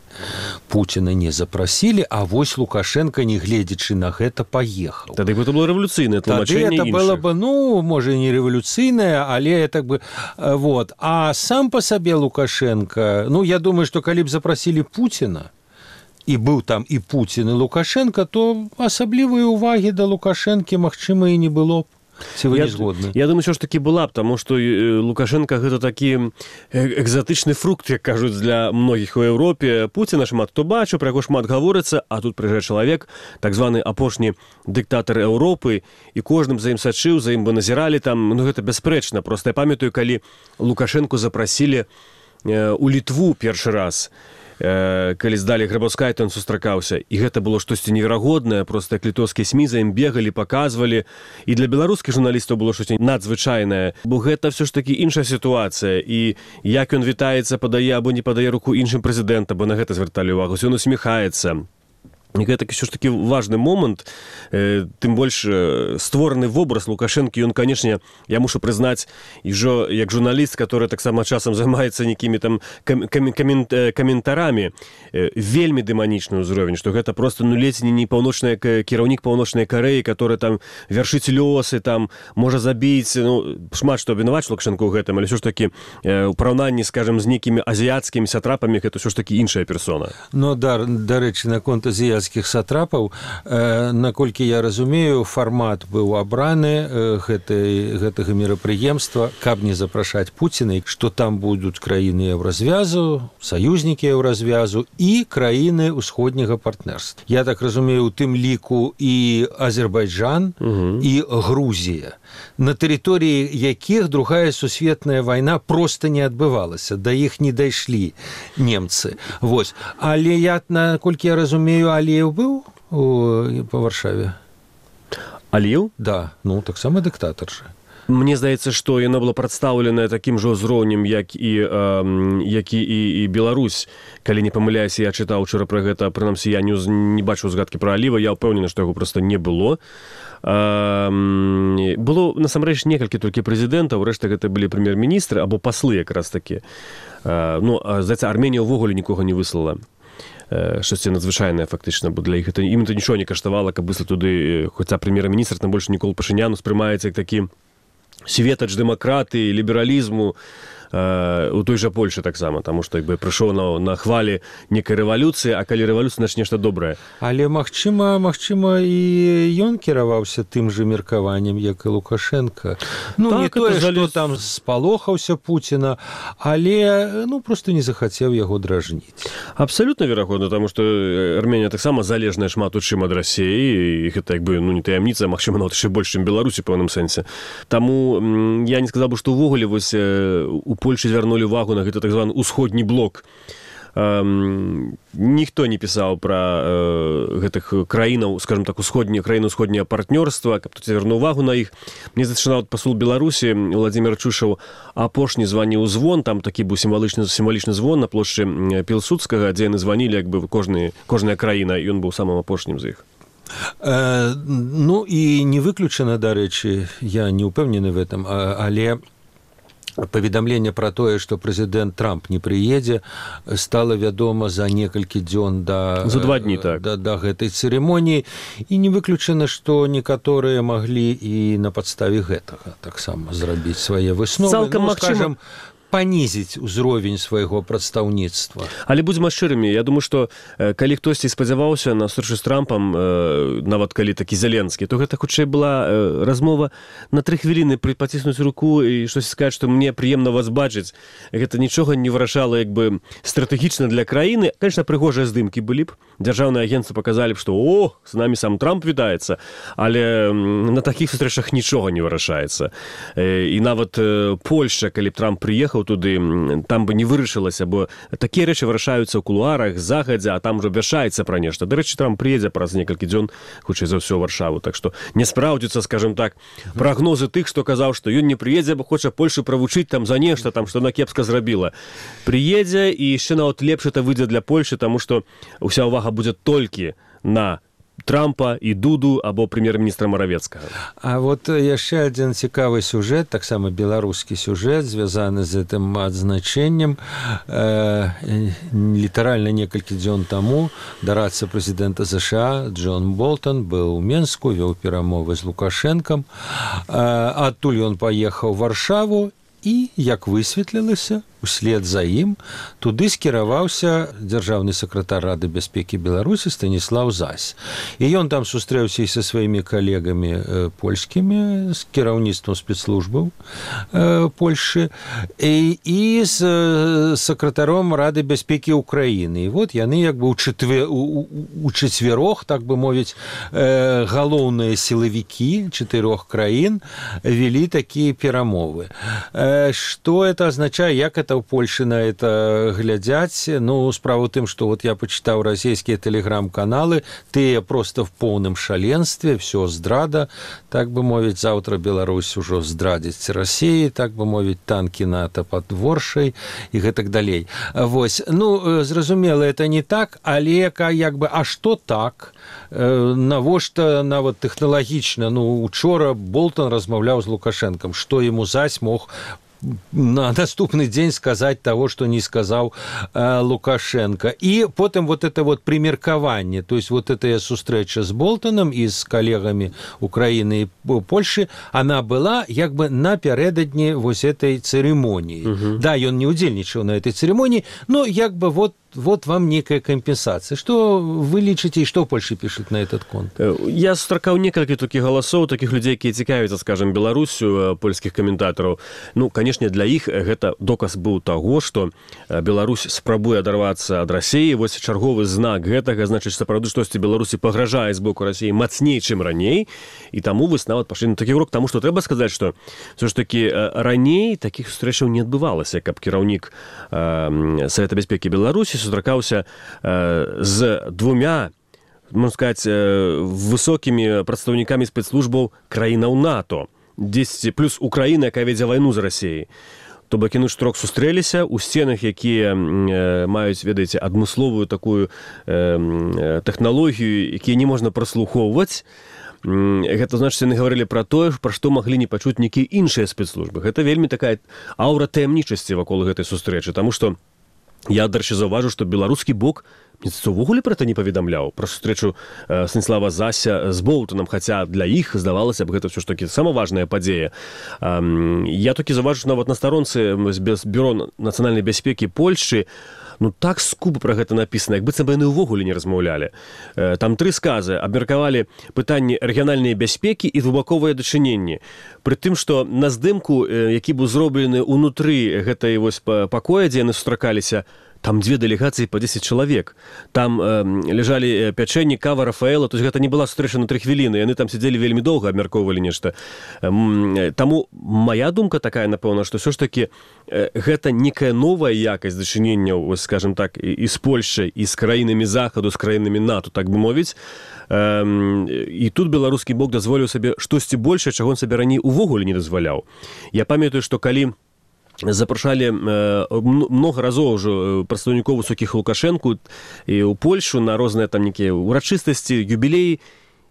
Пуціна не запрасілі, а вось Лукашенко, не гледзячы на гэта, паехаў. Тады гэта было рэвалюцыйнае тлумачэнне іншых. Тады это было бы, ну, можа, не рэвалюцыйнае, але так бы, вот. А сам па сабе Лукашенко, ну, я думаю, што калі б запрасілі Пуціна, і быў там і Пуцін, і Лукашенко, то асаблівай увагі да Лукашэнкі, магчыма, і не было б. Ці вы не згодны? Я думаю, що ж таки була б, тому що Лукашенко гэта такі экзатычны фрукт, як кажуць, для многіх у Еўропе. Пуціна шмат хто бачыў, пра яго шмат гаворыцца, а тут прыязджае чалавек, так званы апошні дыктатар Еўропы, і кожным за ім сачыў, за ім бы назіралі там, ну гэта бясспрэчна. Проста я памятаю, калі Лукашенку запрасілі у Літву першы раз, калі здалі Грабаўскай, то ён сустракаўся. І гэта было штосьці неверагоднае, проста як літоўскія СМІ за ім бегалі, паказвалі. І для беларускіх журналістаў было штосьці надзвычайнае, бо гэта ўсё ж такі іншая сітуацыя. І як ён вітаецца, падае або не падае руку іншым прэзідэнтам, бо на гэта звярталі ўвагу, ён усміхаецца. І гэта ўсё ж такі важны момант, э, тым больш э, створаны вобраз Лукашэнкі, ён, канешне, я мушу прызнаць, і жо, як журналіст, который таксама часам займаецца нейкімі там кам, кам, камент, э, каментарамі, э, вельмі дэманічны ўзровень, што гэта просто, ну, ледзь не паўночная кіраўнік паўночнай Карэі, который там вяршыць лёсы, там можа забіць, ну, шмат што абвінаваць Лукашэнку ў гэтым, але ўсё ж такі э, у параўнанні, скажем, з нейкімі азіяцкімі сатрапамі, гэта ўсё ж такі іншая персона. Ну, да, дарэчы, наконт азіяцкіх царскіх сатрапаў. Наколькі я разумею, фармат быў абраны гэтай, гэтага мерапрыемства, каб не запрашаць Пуціна, што там будуць краіны еўразвязу, саюзнікі еўразвязу і краіны ўсходняга партнерства. Я так разумею, у тым ліку і Азербайджан, угу. і Грузія, на тэрыторыі якіх другая сусветная вайна проста не адбывалася, да іх не дайшлі немцы. Вось. Але я, наколькі я разумею, Аліеў быў у, па Варшаве? Аліеў? Да, ну, таксама дыктатар жа. Мне здаецца, што яна была прадстаўленая такім жа ўзроўнем, як і, э, як і, і, і Беларусь. Калі не памыляюся, я чытаў учора пра гэта, прынамсі, я не, не бачыў згадкі пра Аліева, я ўпэўнены, што яго проста не было. Было, насамрэч, некалькі толькі прэзідэнтаў, рэшта гэта былі прэм'ер-міністры або паслы якраз такі. Ну, здаецца, Арменія ўвогуле нікога не выслала. Штосьці надзвычайнае, фактычна, бо для іх это, ім это нічого не каштавала, каб выслаць туды, хоця прэм'ер-міністр, там больш Нікол Пашынян успрымаецца як такі светач дэмакратыі, лібералізму, у той жа Польшы таксама, таму што як бы прыйшоў на, на хвалі некай рэвалюцыі, а калі рэвалюцыя, значит, нешта добрае. Але, магчыма, магчыма, і ён кіраваўся тым жа меркаваннем, як і Лукашенко. Ну, так, не тое, што залез... там спалохаўся Пуціна, але, ну, проста не захацеў яго дражніць. Абсалютна верагодна, таму што Арменія таксама залежная шмат у чым ад Расіі, і гэта, як бы, ну, не таямніца, магчыма, нават яшчэ больш, чым Беларусі, па пэўным сэнсе. Таму я не сказаў бы, што ўвогуле вось у Польшы звярнулі увагу на гэта так званы ўсходні блок. Эм, ніхто не пісаў пра э, гэтых краінаў, скажем так, усходні, краіны ўсходняе партнёрства, каб тут звярнуў увагу на іх. Мне зачынаў пасол Беларусі Владзімир Чушаў апошні званіў звон, там такі быў сімвалічны, сімвалічны звон на плошчы Пілсудскага, дзе яны званілі, як бы кожны, кожная краіна, і ён быў самым апошнім з іх. Э, ну і не выключана, дарэчы, я не ўпэўнены в этом, але паведамленне пра тое, што прэзідэнт Трамп не прыедзе, стала вядома за некалькі дзён да, за два дні, так. да, да гэтай цырымоніі, і не выключана, што некаторыя маглі і на падставе гэтага таксама зрабіць свае высновы. Цалкам ну, магчыма... скажем, панізіць узровень свайго прадстаўніцтва. Але будзем шчырымі, я думаю, што э, калі хтосьці спадзяваўся на сустрэчу з Трампам, э, нават калі такі Зеленскі, то гэта хутчэй была э, размова на тры хвіліны паціснуць руку і штось сказаць, што мне прыемна вас бачыць. Гэта нічога не вырашала як бы стратэгічна для краіны. Конечно, прыгожыя здымкі былі б. Дзяржаўныя агенцтвы паказалі б, што о, з намі сам Трамп вітаецца, але на такіх сустрэчах нічога не вырашаецца. Э, і нават э, Польшча, калі б Трамп прыехаў туды, там бы не вырашылася, бо такія рэчы вырашаюцца ў кулуарах загадзя, а там ужо абвяшчаецца пра нешта. Дарэчы, Трамп прыедзе праз некалькі дзён, хутчэй за ўсё, Варшаву. Так што не спраўдзіцца, скажем так, прагнозы тых, што казаў, што ён не прыедзе, бо хоча Польшу правучыць там за нешта, там, што она кепска зрабіла. Прыедзе, і яшчэ нават лепш это выйдзе для Польшы, таму што ўся ўвага будзе толькі на Трампа і Дуду або прэм'ер-міністра Маравецкага. А вот яшчэ адзін цікавы сюжэт, таксама беларускі сюжэт, звязаны з гэтым адзначэннем. Э, літаральна некалькі дзён таму дарадца прэзідэнта ЗША Джон Болтон быў у Менску, вёў перамовы з Лукашэнкам. Э, адтуль ён паехаў у Варшаву і, як высветлілася, услед за ім туды скіраваўся дзяржаўны сакратар Рады бяспекі Беларусі Станіслаў Зась. І ён там сустрэўся і са сваімі калегамі э, польскімі, з кіраўніцтвам спецслужбаў э, Польшы, і, і з э, сакратаром Рады бяспекі Украіны. І вот яны як бы у, чатве, у, у чацвярох, так бы мовіць, э, галоўныя сілавікі чатырох краін вялі такія перамовы. Э, што это азначае, як это ў Польшы на это глядзяць? Ну, справа ў тым, што вот я пачытаў расійскія тэлеграм-каналы, тыя проста в поўным шаленстве, все здрада, так бы мовіць, заўтра Беларусь ужо здрадзіць Расіі, так бы мовіць, танкі НАТО пад Воршай і гэтак далей. Вось, ну, зразумела, это не так, але як бы, а што так? Навошта нават тэхналагічна? Ну, учора Болтон размаўляў з Лукашэнкам, што яму Зась мог на наступны дзень сказаць того, што не сказаў э, Лукашенко. І потым вот это вот примеркаванне, то есть вот эта сустрэча з Болтоном і з калегамі Украіны і Польшы, она была як бы напярэдадні вось этой цырымоніі. Uh-huh. Да, ён не удзельнічаў на этой цырымоніі, но як бы вот вот вам некая компенсация. Что вы лічыце, и что Польша пишет на этот конт? Я сустракаў некалькі такіх галасоў, такіх людзей, якія цікавяцца, скажем, Беларусю, польскіх каментатараў. Ну, канешне, для іх гэта доказ быў таго, што Беларусь спрабуе адарвацца ад Расіі. Вось чарговы знак гэтага, значыць, сапраўды штосьці Беларусі пагражае з боку Расіі мацней, чым раней. І таму вось нават пашлі на такі крок, таму што трэба сказаць, што ўсё ж такі раней такіх сустрэчаў не адбывалася, каб кіраўнік э, Савета бяспекі Беларусі сустракаўся э, з двумя, можна сказаць, э, высокімі прадстаўнікамі спецслужбаў краінаў НАТО, дзесяць плюс Украіна, якая вядзе вайну з Расіяй. То бок яны штрок сустрэліся ў сценах, якія э, маюць, ведаеце, адмысловую такую э, тэхналогію, якія не можна праслухоўваць. Гэта значыць, яны гаварылі пра тое, пра што маглі не пачуць нейкія іншыя спецслужбы. Гэта вельмі такая аўра таямнічасці вакол гэтай сустрэчы, таму што я, дарэчы, заўважу, што беларускі бок увогуле пра гэта не паведамляў, пра сустрэчу э, Станіслава Зася з Болтонам, хаця для іх, здавалася б, гэта ўсё ж такі сама важная падзея. Э, я толькі заўважу, нават на старонцы Бюро нацыянальнай бяспекі Польшчы, ну так скупа пра гэта напісана, як быццам бы яны ўвогуле не размаўлялі. Э, там тры сказы абмеркавалі пытанні рэгіянальнай бяспекі і двухбаковыя дачыненні. Пры тым, што на здымку, э, які быў зроблены ўнутры гэтай вось пакоя, дзе яны сустракаліся, там две делегации по десять человек. Там э, лежали пячэнні, кава, Рафаэла. То есть гэта не была сустрэча на тры хвіліны. Яны там сидзелі вельмі доўга, абмяркоўвалі нешта. Э, таму моя думка такая, напэўна, што ўсё ж такі э, гэта некая новая якасць дачыненняў, скажем так, і, і з Польшай, і з краінамі Захаду, з краінамі НАТО, так бы мовіць. Э, і тут беларускі бок дазволіў сабе штосьці большае, чаго он сабе раней увогуле не дазваляў. Я памятаю, што калі запрашалі э, много разоў ўжо прадстаўнікоў высокіх Лукашэнку і ў Польшу на розныя там нейкія урачыстасці, юбілеі,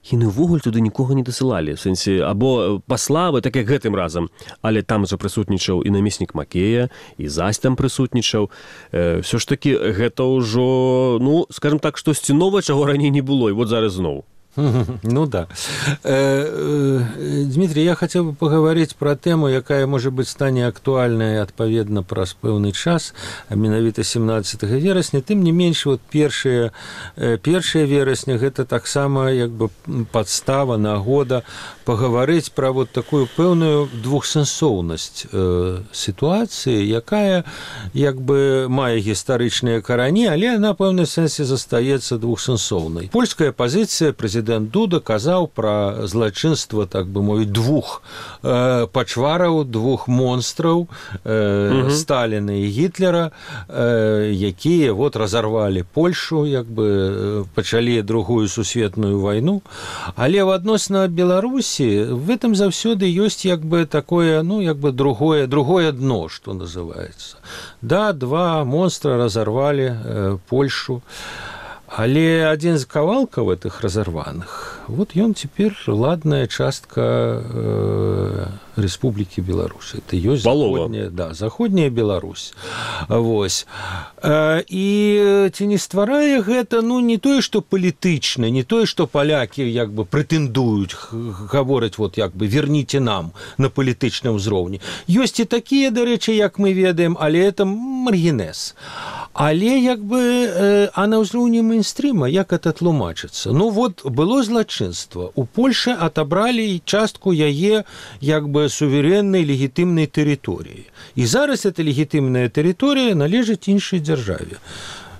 яны ўвогуле туды нікога не дасылалі, в сэнсе, або паславы, так як гэтым разам, але там жа прысутнічаў і намеснік Макея, і Зась там прысутнічаў. Э, ўсё ж такі гэта ўжо, ну, скажем так, штосьці новае, чаго раней не было, і вот зараз зноў. Ну да. Дмитрий, я хотел бы поговорить про тему, якая, может быть, стане актуальнай адпаведна праз пэўны час, а менавіта семнадцатага верасня. Тым не менш, вот першае першае верасня гэта таксама як бы падстава, нагода паговорыць пра вот такую пэўную двухсэнсоўнасць э, сітуацыі, якая як бы мае гістарычныя карані, але на пэўным сэнсе застаецца двухсэнсоўнай. Польская пазіцыя, прэзідэнт Дуда казаў пра злачынства, так бы мовіць, двух э, пачвараў, двух монстраў, э, Сталіна і Гітлера, э, якія вот разарвалі Польшу, як бы пачалі другую сусветную вайну. Але в адносна Беларусі в этом заўсёды ёсць як бы такое, ну, як бы другое, другое дно, что называется. Да, два монстра разорвали э, Польшу. Але адзін з кавалкаў этих разорваных, вот ён цяпер ладная частка э, Рэспублікі Беларусь. Это ёсць заходняя, да, заходняя Беларусь. Вось. Э, і ці не стварае гэта, ну, не тое, што палітычна, не тое, што палякі як бы прэтэндуюць, гавораць, вот як бы верніце нам на палітычным узроўні. Ёсць і такія, дарэчы, як мы ведаем, але это маргінез. Але як бы, э, а на ўзроўні мейнстрыма, як это тлумачыцца? Ну вот, было злачынства. У Польшы атабралі частку яе як бы суверэннай легітымнай тэрыторыі. І зараз эта легітымная тэрыторыя належыць іншай дзяржаве.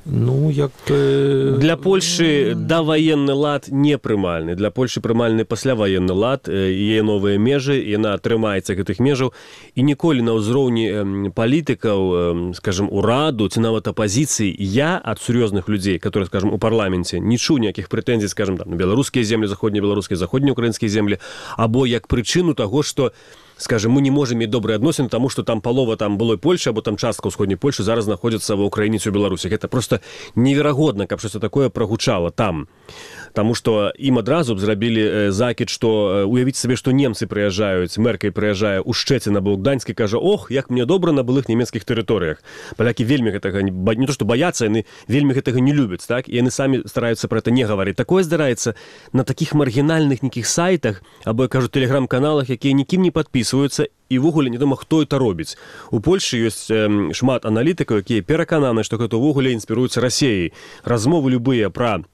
Ну, як... Для Польшы даваенны лад не прымальны. Для Польшы прымальны пасляваенны лад, яе новыя межы, яна трымаецца гэтых межаў. І ніколі на ўзроўні палітыкаў, скажем, ураду, ці нават апазіцыі, я ад сур'ёзных людзей, которые, скажем, у парламенце, не чуў ніякіх прэтэнзій, скажем, там, на беларускія землі, заходнебеларускія, заходнеукраінскія землі, або як прычыну таго, што, скажем, мы не можем мець добрыя адносіны, таму што там палова там былой Польшы, або там частка ўсходняй Польшы зараз знаходзіцца ва Ўкраіне ці ў Беларусі. Гэта просто неверагодна, каб штосьці такое прагучала там. Таму што ім адразу б зрабілі закід, што уявіць сабе, што немцы прыязджаюць, Меркель прыязджае ў Шчэцін або ў Гданьск і кажа: ох, як мне добра на былых нямецкіх тэрыторыях. Палякі вельмі гэтага не то што баяцца, яны вельмі гэтага не любяць, так? І яны самі стараюцца пра гэта не гаварыць. Такое здараецца на такіх маргінальных нейкіх сайтах або, я кажу, тэлеграм-каналах, якія нікім не падпісаны. записваюцца і ўвогуле невядома хто это робіць. У Польшы ёсць э, шмат аналітыкаў, якія перакананы, што гэта ўвогуле інспіруецца Расіяй. Размовы любыя пра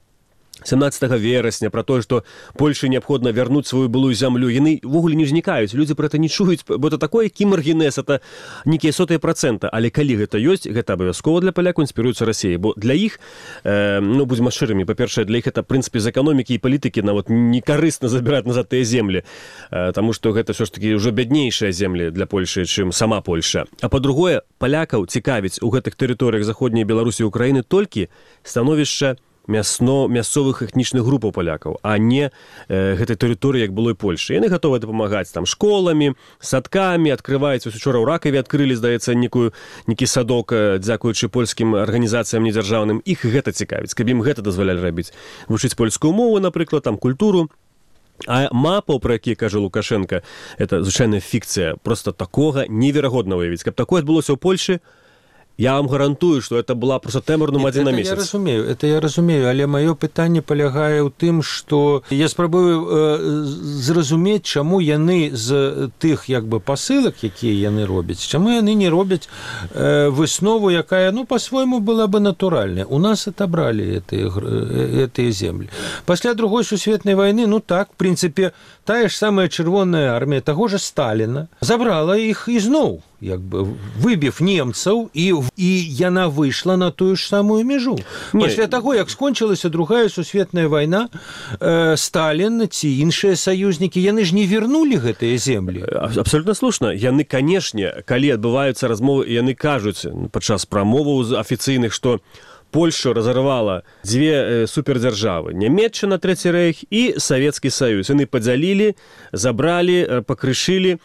семнадцатага верасня, пра тое, што Польшы неабходна вярнуць сваю былую зямлю, яны ўвогуле не ўзнікаюць, людзі пра гэта не чуюць, бо это такое кімаргінез, это нейкія сотыя працэнта, але калі гэта ёсць, гэта абавязкова для палякаў інспіруецца Расіяй, бо для іх, э, ну, будзем шчырымі, па-першае, для іх это, в прынцыпе, з эканомікі і палітыкі нават некарысна забіраць назад тыя землі, э, таму што гэта ўсё ж такі ўжо бяднейшыя землі для Польшы, чым сама Польша. А па-другое, палякаў цікавіць у гэтых тэрыторыях заходняй Беларусі і Украіны толькі становішча мясно мясцовых этнічных групаў палякаў, а не э, гэтай тэрыторыі, як было і Польшы. Яны гатовы дапамагаць там школамі, садкамі, адкрываюць, учора ў Ракаве адкрылі, здаецца, некую, некі садок, дзякуючы польскім арганізацыям недзяржаўным. Іх гэта цікавіць, каб ім гэта дазвалялі рабіць. Вучыць польскую мову, напрыклад, там культуру. А мапаў, пра які кажа Лукашенко, это звычайная фікцыя, просто такога неверагодна выявіць. Каб такое адбылося ў Польшы, я вам гарантую, што это была просто тэмарным адзін на месяц. Я разумею, это я разумею, але маё пытанне палягае ў тым, што я спрабую э, зразумець, чаму яны з тых як бы пасылак, якія яны робяць, чаму яны не робяць э, выснову, якая, ну, па-свойму была бы натуральная. У нас отобрали гэтыя гэтыя землі. Пасля другой сусветнай вайны, ну так, в прынцыпе, тая ж самая чырвоная армія таго ж Сталіна забрала іх ізноў, як бы выбіў немцаў, і, і яна выйшла на тую ж самую мяжу. Не. Пасля таго, як скончылася другая сусветная вайна, э, Сталін ці іншыя саюзнікі, яны ж не вернулі гэтыя землі. Абсолютно слушна. Яны, канешне, калі адбываюцца размовы, яны кажуць падчас прамоваў афіцыйных, што Польшу разорвала дзве э, супердзяржавы. Нямецчына, Трэці рэйх і Савецкі Саюз. Яны падзялілі, забралі, э, пакрышылі.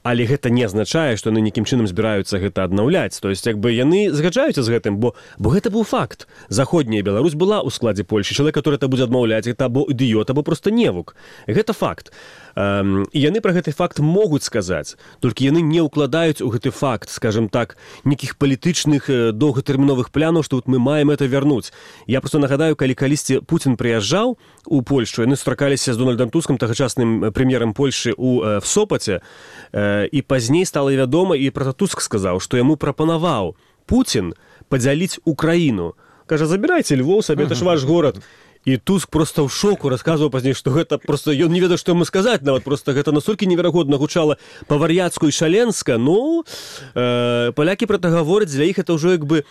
Але гэта не азначае, што яны нейкім чынам збіраюцца гэта аднаўляць. То есть, як бы яны згаджаюцца з гэтым, бо, бо гэта быў факт. Заходняя Беларусь была ў складзе Польшы. Чалавек, который это будзе адмаўляць, гэта або ідыёт, або проста невук. Гэта факт. Эм, і яны пра гэты факт могуць сказаць, толькі яны не ўкладаюць у гэты факт, скажем так, нейкіх палітычных доўгатэрміновых планаў, што вот мы маем это вярнуць. Я просто нагадаю, калі калісьці Пуцін прыязджаў у Польшу, яны сустракаліся з Дональдам Тускам, тагачасным прэм'ерам Польшы ў, в Сопаце, э, і пазней стала вядома, і пра Туск сказаў, што яму прапанаваў Пуцін падзяліць Украіну. Кажа, забірайце Львоў сабе, это ж ваш горад. І Туск просто ў шоку расказваў пазней, што гэта просто ён не ведаў, што яму сказаць, нават просто гэта настолькі неверагодна гучала па-вар'яцку і шаленска. Ну, э, палякі пра гэта гавораць, для іх это ўжо як бы,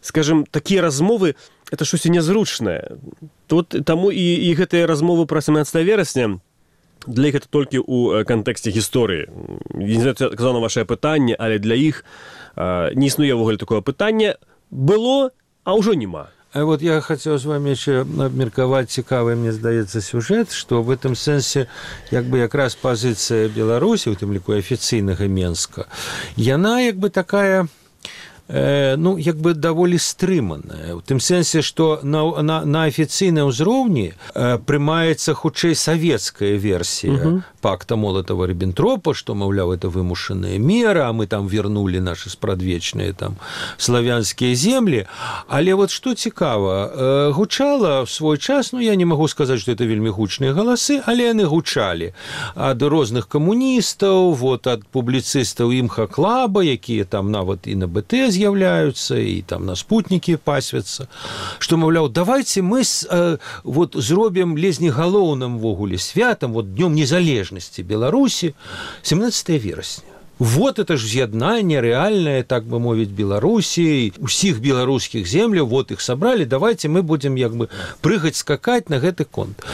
скажем, такія размовы, это штосьці нязручнае. Тут таму і, і гэтыя размовы пра семнадцатага верасня для іх это толькі ў кантэксце гісторыі. Я не знаю, казаў на вашае пытанне, але для іх э, не існуе ўвогуле такое пытанне. Было, а ўжо няма. А вот я хотел с вами еще обмерковать цікавый, мне здаецца, сюжет, что в этом сенсе, як бы, якраз позиция Беларуси, у тым ліку афіцыйнага Менска, яна, як бы, такая, э, ну, як бы, даволі стрыманая. У тым сенсе, что на, на, на афіцыйным ўзроўні э, прымаецца хутчэй савецкая версия угу. пакта Молотова-Риббентропа, что, маўляў, это вымушанная мера, а мы там вернули наши спрадвечныя там славянскія землі. Але вот что цікава, э, гучала в свой час, ну, я не могу сказать, что это вельмі гучныя галасы, але яны гучалі ад розных камуністаў, вот, ад публіцыстаў імха-клаба, якія там нават і на БТ з'яўляюцца, і там на спутнікі пасвяцца, што, маўляў, давайте мы э, вот, зробім лезні галоўным ввогуле святам, вот, днём незалежнасці Беларусі, семнадцатага верасня. Вот это ж з'яднанне рэальнае, так бы мовіць, Беларусі, усіх беларускіх земляў, вот іх сабралі, давайте мы будзем як бы прыгаць, скакаць на гэты конт.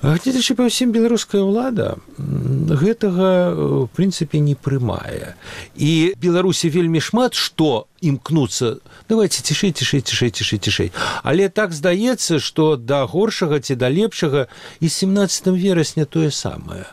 Гледзячы па ўсім, беларуская ўлада гэтага, в прынцыпе, не прымае. І Беларусі вельмі шмат што імкнуцца, давайте цішэй, цішэй, цішэй, цішэй, цішэй. Але так здаецца, што да горшага ці да лепшага і семнадцатага верасня тое самае.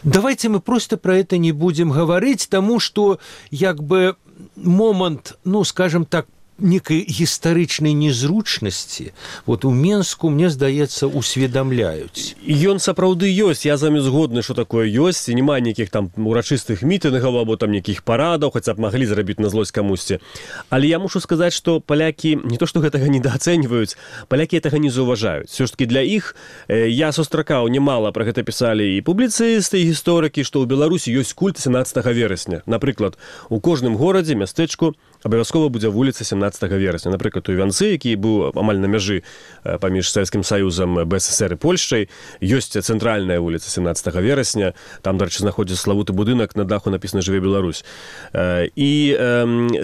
Давайте мы просто про это не будем говорить, тому что, як бы, момент, ну, скажем так, некай гістарычнай незручнасці вот у Менску, мне здаецца, усведамляюць. Ён сапраўды ёсць, я з вами згодны, што такое ёсць, і няма нейкіх там урачыстых мітынгаў або там нейкіх парадаў, хаця б маглі зрабіць на злосць камусьці. Але я мушу сказаць, што палякі не то што гэтага недаацэньваюць, палякі гэтага не заўважаюць. Все ж таки для іх я сустракаў немало, пра гэта пісалі і публіцысты, і гісторыкі, што ў Беларусі ёсць культ сямнаццатага верасня. Напрыклад, у кожным горадзе, мястэчку абавязкова будзе вуліца сямнаццатага верасня. Напрыклад, у Іванцы, які быў амаль на мяжы паміж Савецкім Саюзам, БССР і Польшчай, ёсць цэнтральная вуліца сямнаццатага верасня. Там, дарэчы, знаходзіцца славуты будынак, на даху напісана «Жыве Беларусь». І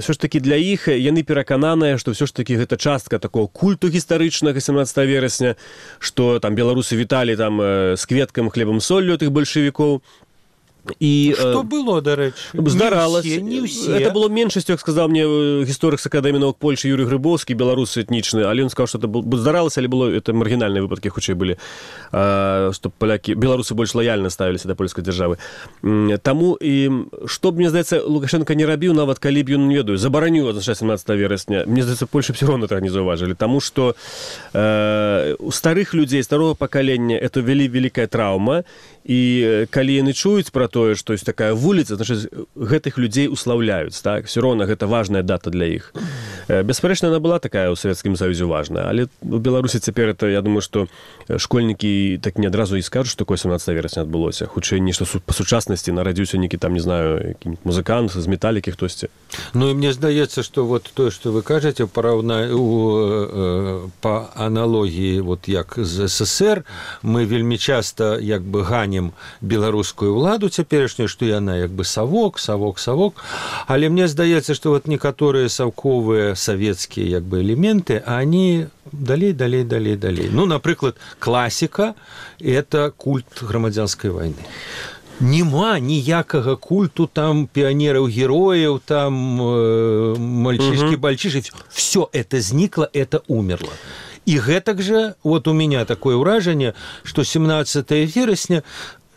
ўсё ж такі для іх яны перакананыя, што ўсё ж такі гэта частка такого культу гістарычнага сямнаццатага верасня, што там беларусы віталі там з кветкам, хлебам, соллю тых бальшавікоў. І, што было, дарэчы? Здаралась. Не ўсе, не ўсе. Это было меншасцю, як сказаў мне гісторык з Акадэміі навук Польшчы Юрый Грыбоўскі, беларус этнічны, але ён сказаў, што это здаралася, але было это маргінальныя выпадкі хутчэй былі, што палякі, беларусы больш лаяльна ставіліся да польскай дзяржавы. Таму і што б, мне здаецца, Лукашенко не рабіў, нават калі б ён, не ведаю, забараніў адзначаць сямнаццатага верасня, мне здаецца, Польша б всё роўна так не заўважылі, таму што э, у старых людзей, старого пакалення это вялі вялікая траўма, і калі яны чуюць пра тое, што ёсць такая вуліца, значыць, гэтых людзей услаўляюць, так? Всё роўна гэта важная дата для іх. Беспарэчна, яна была такая ў Савецкім Саюзе важная, але у Беларусі цяпер это, я думаю, што школьнікі так не адразу і скажуць, што такое сямнаццатага верасня адбылося. Хутчэй нешта па сучаснасці нарадзіўся нейкі там, не знаю, які-нибудь музыкант з металікі хтосьці. Ну і мне здаецца, што вот тое, што вы кажаце, параўна... у... па аналогіі, вот як з СССР, мы вельмі часта як бы ганім беларускую ўладу цяперашнюю, што яна як бы савок, савок, савок. Але мне здаецца, што вот некаторыя саўковыя савецкія як бы элементы, они далей, далей, далей, далей. Ну, напрыклад, класіка – это культ грамадзянскай вайны. Нема ніякага культу там піянераў-герояў, там э, мальчишки-бальчиши. Все это зникло, это умерло. И гэтак же, вот у меня такое ўражанне, што семнаццатага верасня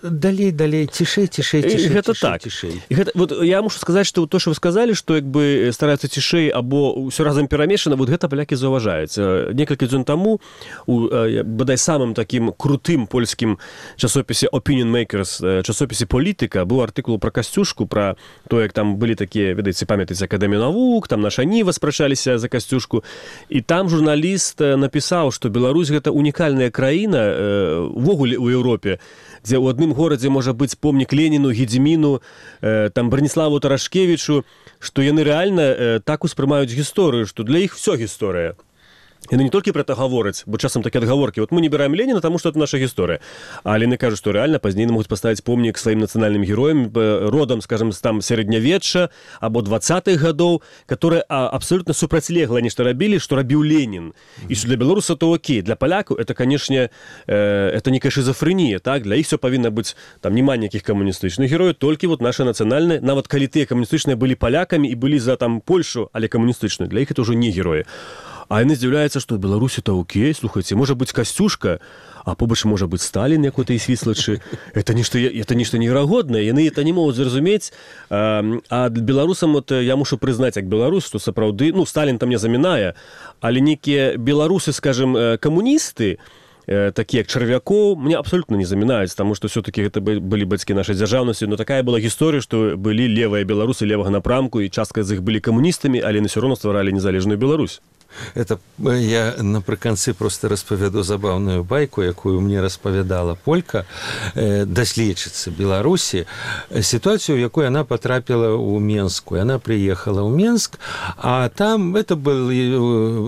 далей, далей, цішэй, цішэй, цішэй, гэта цішэй, так. цішэй. Гэта, вот я мушу сказаць, што то, што вы сказалі, што як бы стараюцца цішэй або ўсё разам перамешана, вот гэта палякі заўважаюць. Некалькі дзён таму у бадай самым такім крутым польскім часопісе Opinion Makers, часопісе «Політыка», быў артыкул пра Касцюшку, пра то, як там былі такія, ведаеце, памятаеце, Акадэмію навук, там наша Ніва спрачаліся за Касцюшку, і там журналіст напісаў, што Беларусь гэта унікальная краіна увогуле ў Еўропе, дзе ў адным горадзе можа быць помнік Леніну, Гедзіміну, э, там Браніславу Тарашкевічу, што яны рэальна э, так успрымаюць гісторыю, што для іх всё гісторыя. Яны не толькі пра это гавораць, бо часам такія адгаворкі, вот мы не бираем Леніна, таму што это наша гісторыя. Але яны кажуць, што рэальна пазней могуць паставіць помнік сваім нацыянальным героям, родам, скажем, там сярэднявечча або двадцатых гадоў, которые абсолютно супрацьлегла нешта рабілі, што рабіў Ленін. І што для беларуса то окей, для палякаў это, канешне, э, это некая шизофрэнія, так? Для іх всё павінна быць, там няма ніякіх камуністычных герояў, толькі вот наша нацыянальная, нават калі тыя камуністычныя былі палякамі і былі за там Польшу, але камуністычныя, для іх это ўжо не героі. А яны здзіўляюцца, што ў Беларусі-то окей, слухайце, можа быць Касцюшка, а побач можа быць Сталін, як у той свіслачы. Это нешта, это нешта неверагоднае, яны это не могуць зразумець. А, а беларусам, вот, я мушу прызнаць, як беларус, што сапраўды, ну, Сталін там не замінае, але некія беларусы, скажем, камуністы, такія як Чарвякоў, мне абсолютно не замінаюць, таму што все-таки гэта былі бацькі нашай дзяржаўнасці, но такая была гісторыя, што былі левыя беларусы левага напрамку, і частка з іх былі камуністамі, але на ўсё роўна стваралі незалежную Беларусь. Это я напрыканцы просто распавяду забаўную байку, якую мне распавядала полька, э, даследчыца Беларусі, сітуацыю, у якой яна патрапіла ў Менску. Яна прыехала ў Менск, а там это былі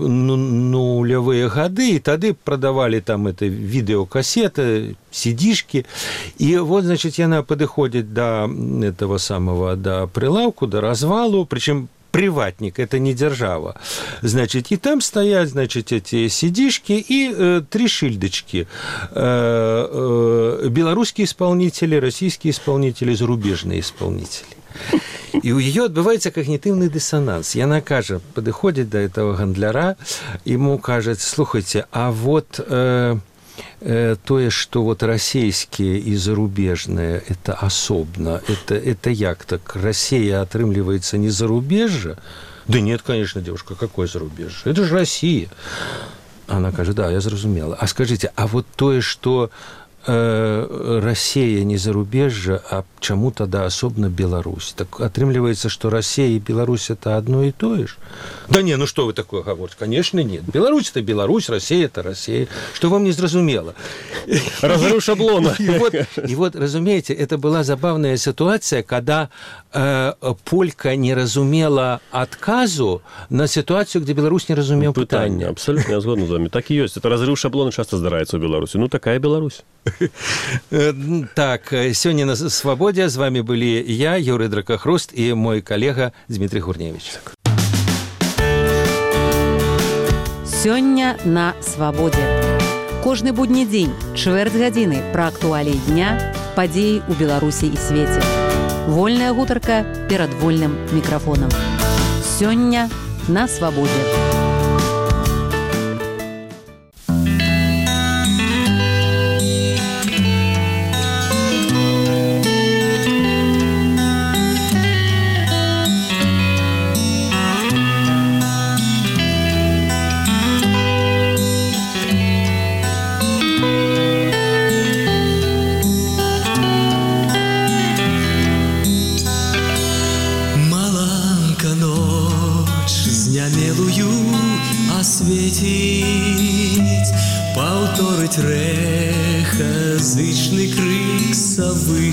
ну, нулявыя гады, і тады прадавалі там это відэокасеты, сидишки. И вот, значит, яна падыходзіць да этого самого, да прилавку, да развалу, причем приватник, это не держава. Значит, и там стоят, значит, эти сидишки и э, три шильдочки. Э, э, белорусские исполнители, российские исполнители, зарубежные исполнители. И у ее отбывается когнитивный диссонанс. Яна кажа, подходит до этого гандляра, ему кажется, слушайте, а вот... Э, тое, што вот расійскія і зарубежныя это асобна, это, это як так? Расія атрымліваецца не зарубежжа, Да нет, конечно, девушка, какое зарубежье? Это же Россия. Она кажет, да, я зразумела. А скажите, а вот тое, что э, Россия не зарубежье, а чему тогда особенно Беларусь? Так отрымливается, что Россия и Беларусь это одно и то же? Да не, ну что вы такое говорите? Конечно, нет. Беларусь это Беларусь, Россия это Россия. Что вам не зразумела? Разрыв шаблона. И вот, и вот, разумеете, это была забавная ситуация, когда э, Полька не разумела отказу на ситуацию, где Беларусь не разумел Пытання. пытання. Абсолютно, я згоден з вами. Так і ёсць. Это разрыв шаблона часто здараецца ў Беларусі. Ну, такая Беларусь. Так, сёння на «Свабодзе» з вами былі я, Юрый Дракахруст, і мой калега Дмітрий Гурневич. Сёння на «Свабодзе». Кожны будні дзень, чвэрць гадзіны пра актуаліі дня, падзеі ў Беларусі і свеце. Вольная гутарка перад вольным мікрафонам. Сёння на «Свабодзе». Осветить, повторить рехозычный крик совы.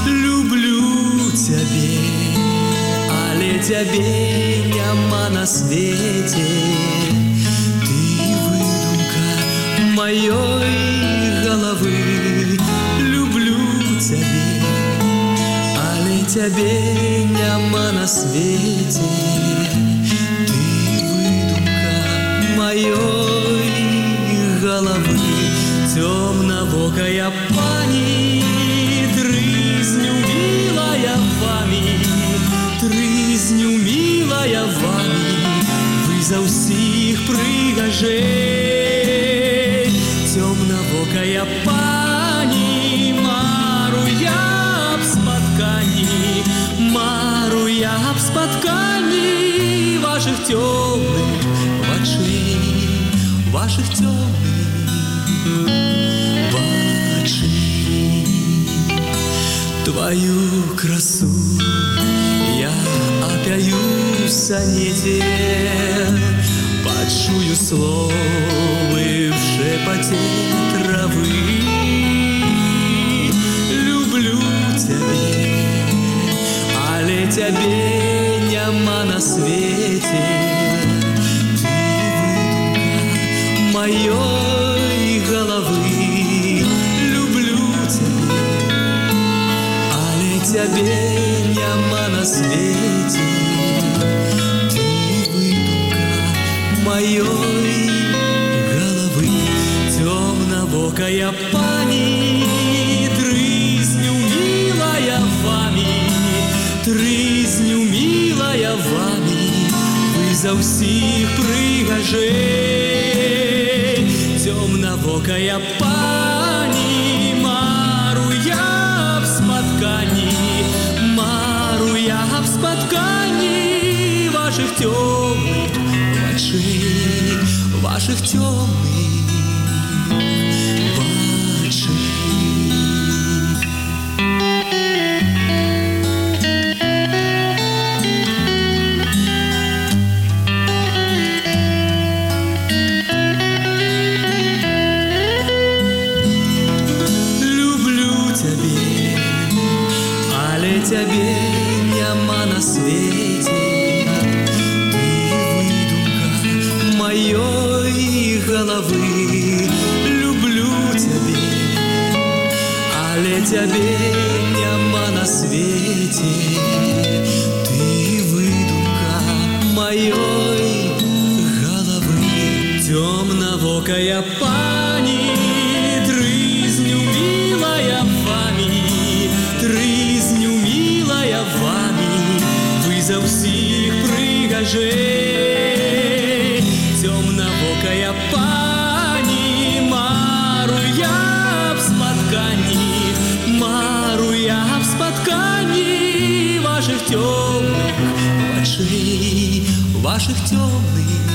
Люблю тебе, але тебе няма на свете. Ты выдумка моей головы. Люблю тебе, але тебе няма на свете. Моей головы темновокая пани, трызню милая вами, трызню милая вами, вы за всіх пригажей. Темновокая пани, мару я б споткані, мару я б споткані ваших темных очей, ваших темных очей. Твою красу я опяю в сонете, почую словы в шепоте травы. Люблю тебя, але тебе няма на свете. Моей головы. Люблю тебя, але тебе няма на свете. Ты выдумка моей головы. Темновокая пани, трызню милая вами, трызню милая вами, вы за всіх пригажей. Темновокая пани, мару я б споткані, мару я б споткані ваших темных очей, ваших темных очей. Тебе няма на свете. Ты выдумка моей головы. Люблю тебя, але тебе няма на свете. Ты выдумка моей головы. Темновокая пани, трызню милая вами, трызню милая вами, вы за всіх пригажей. Темновокая пани, мару я б споткані, мару я б споткані ваших темных ваших темных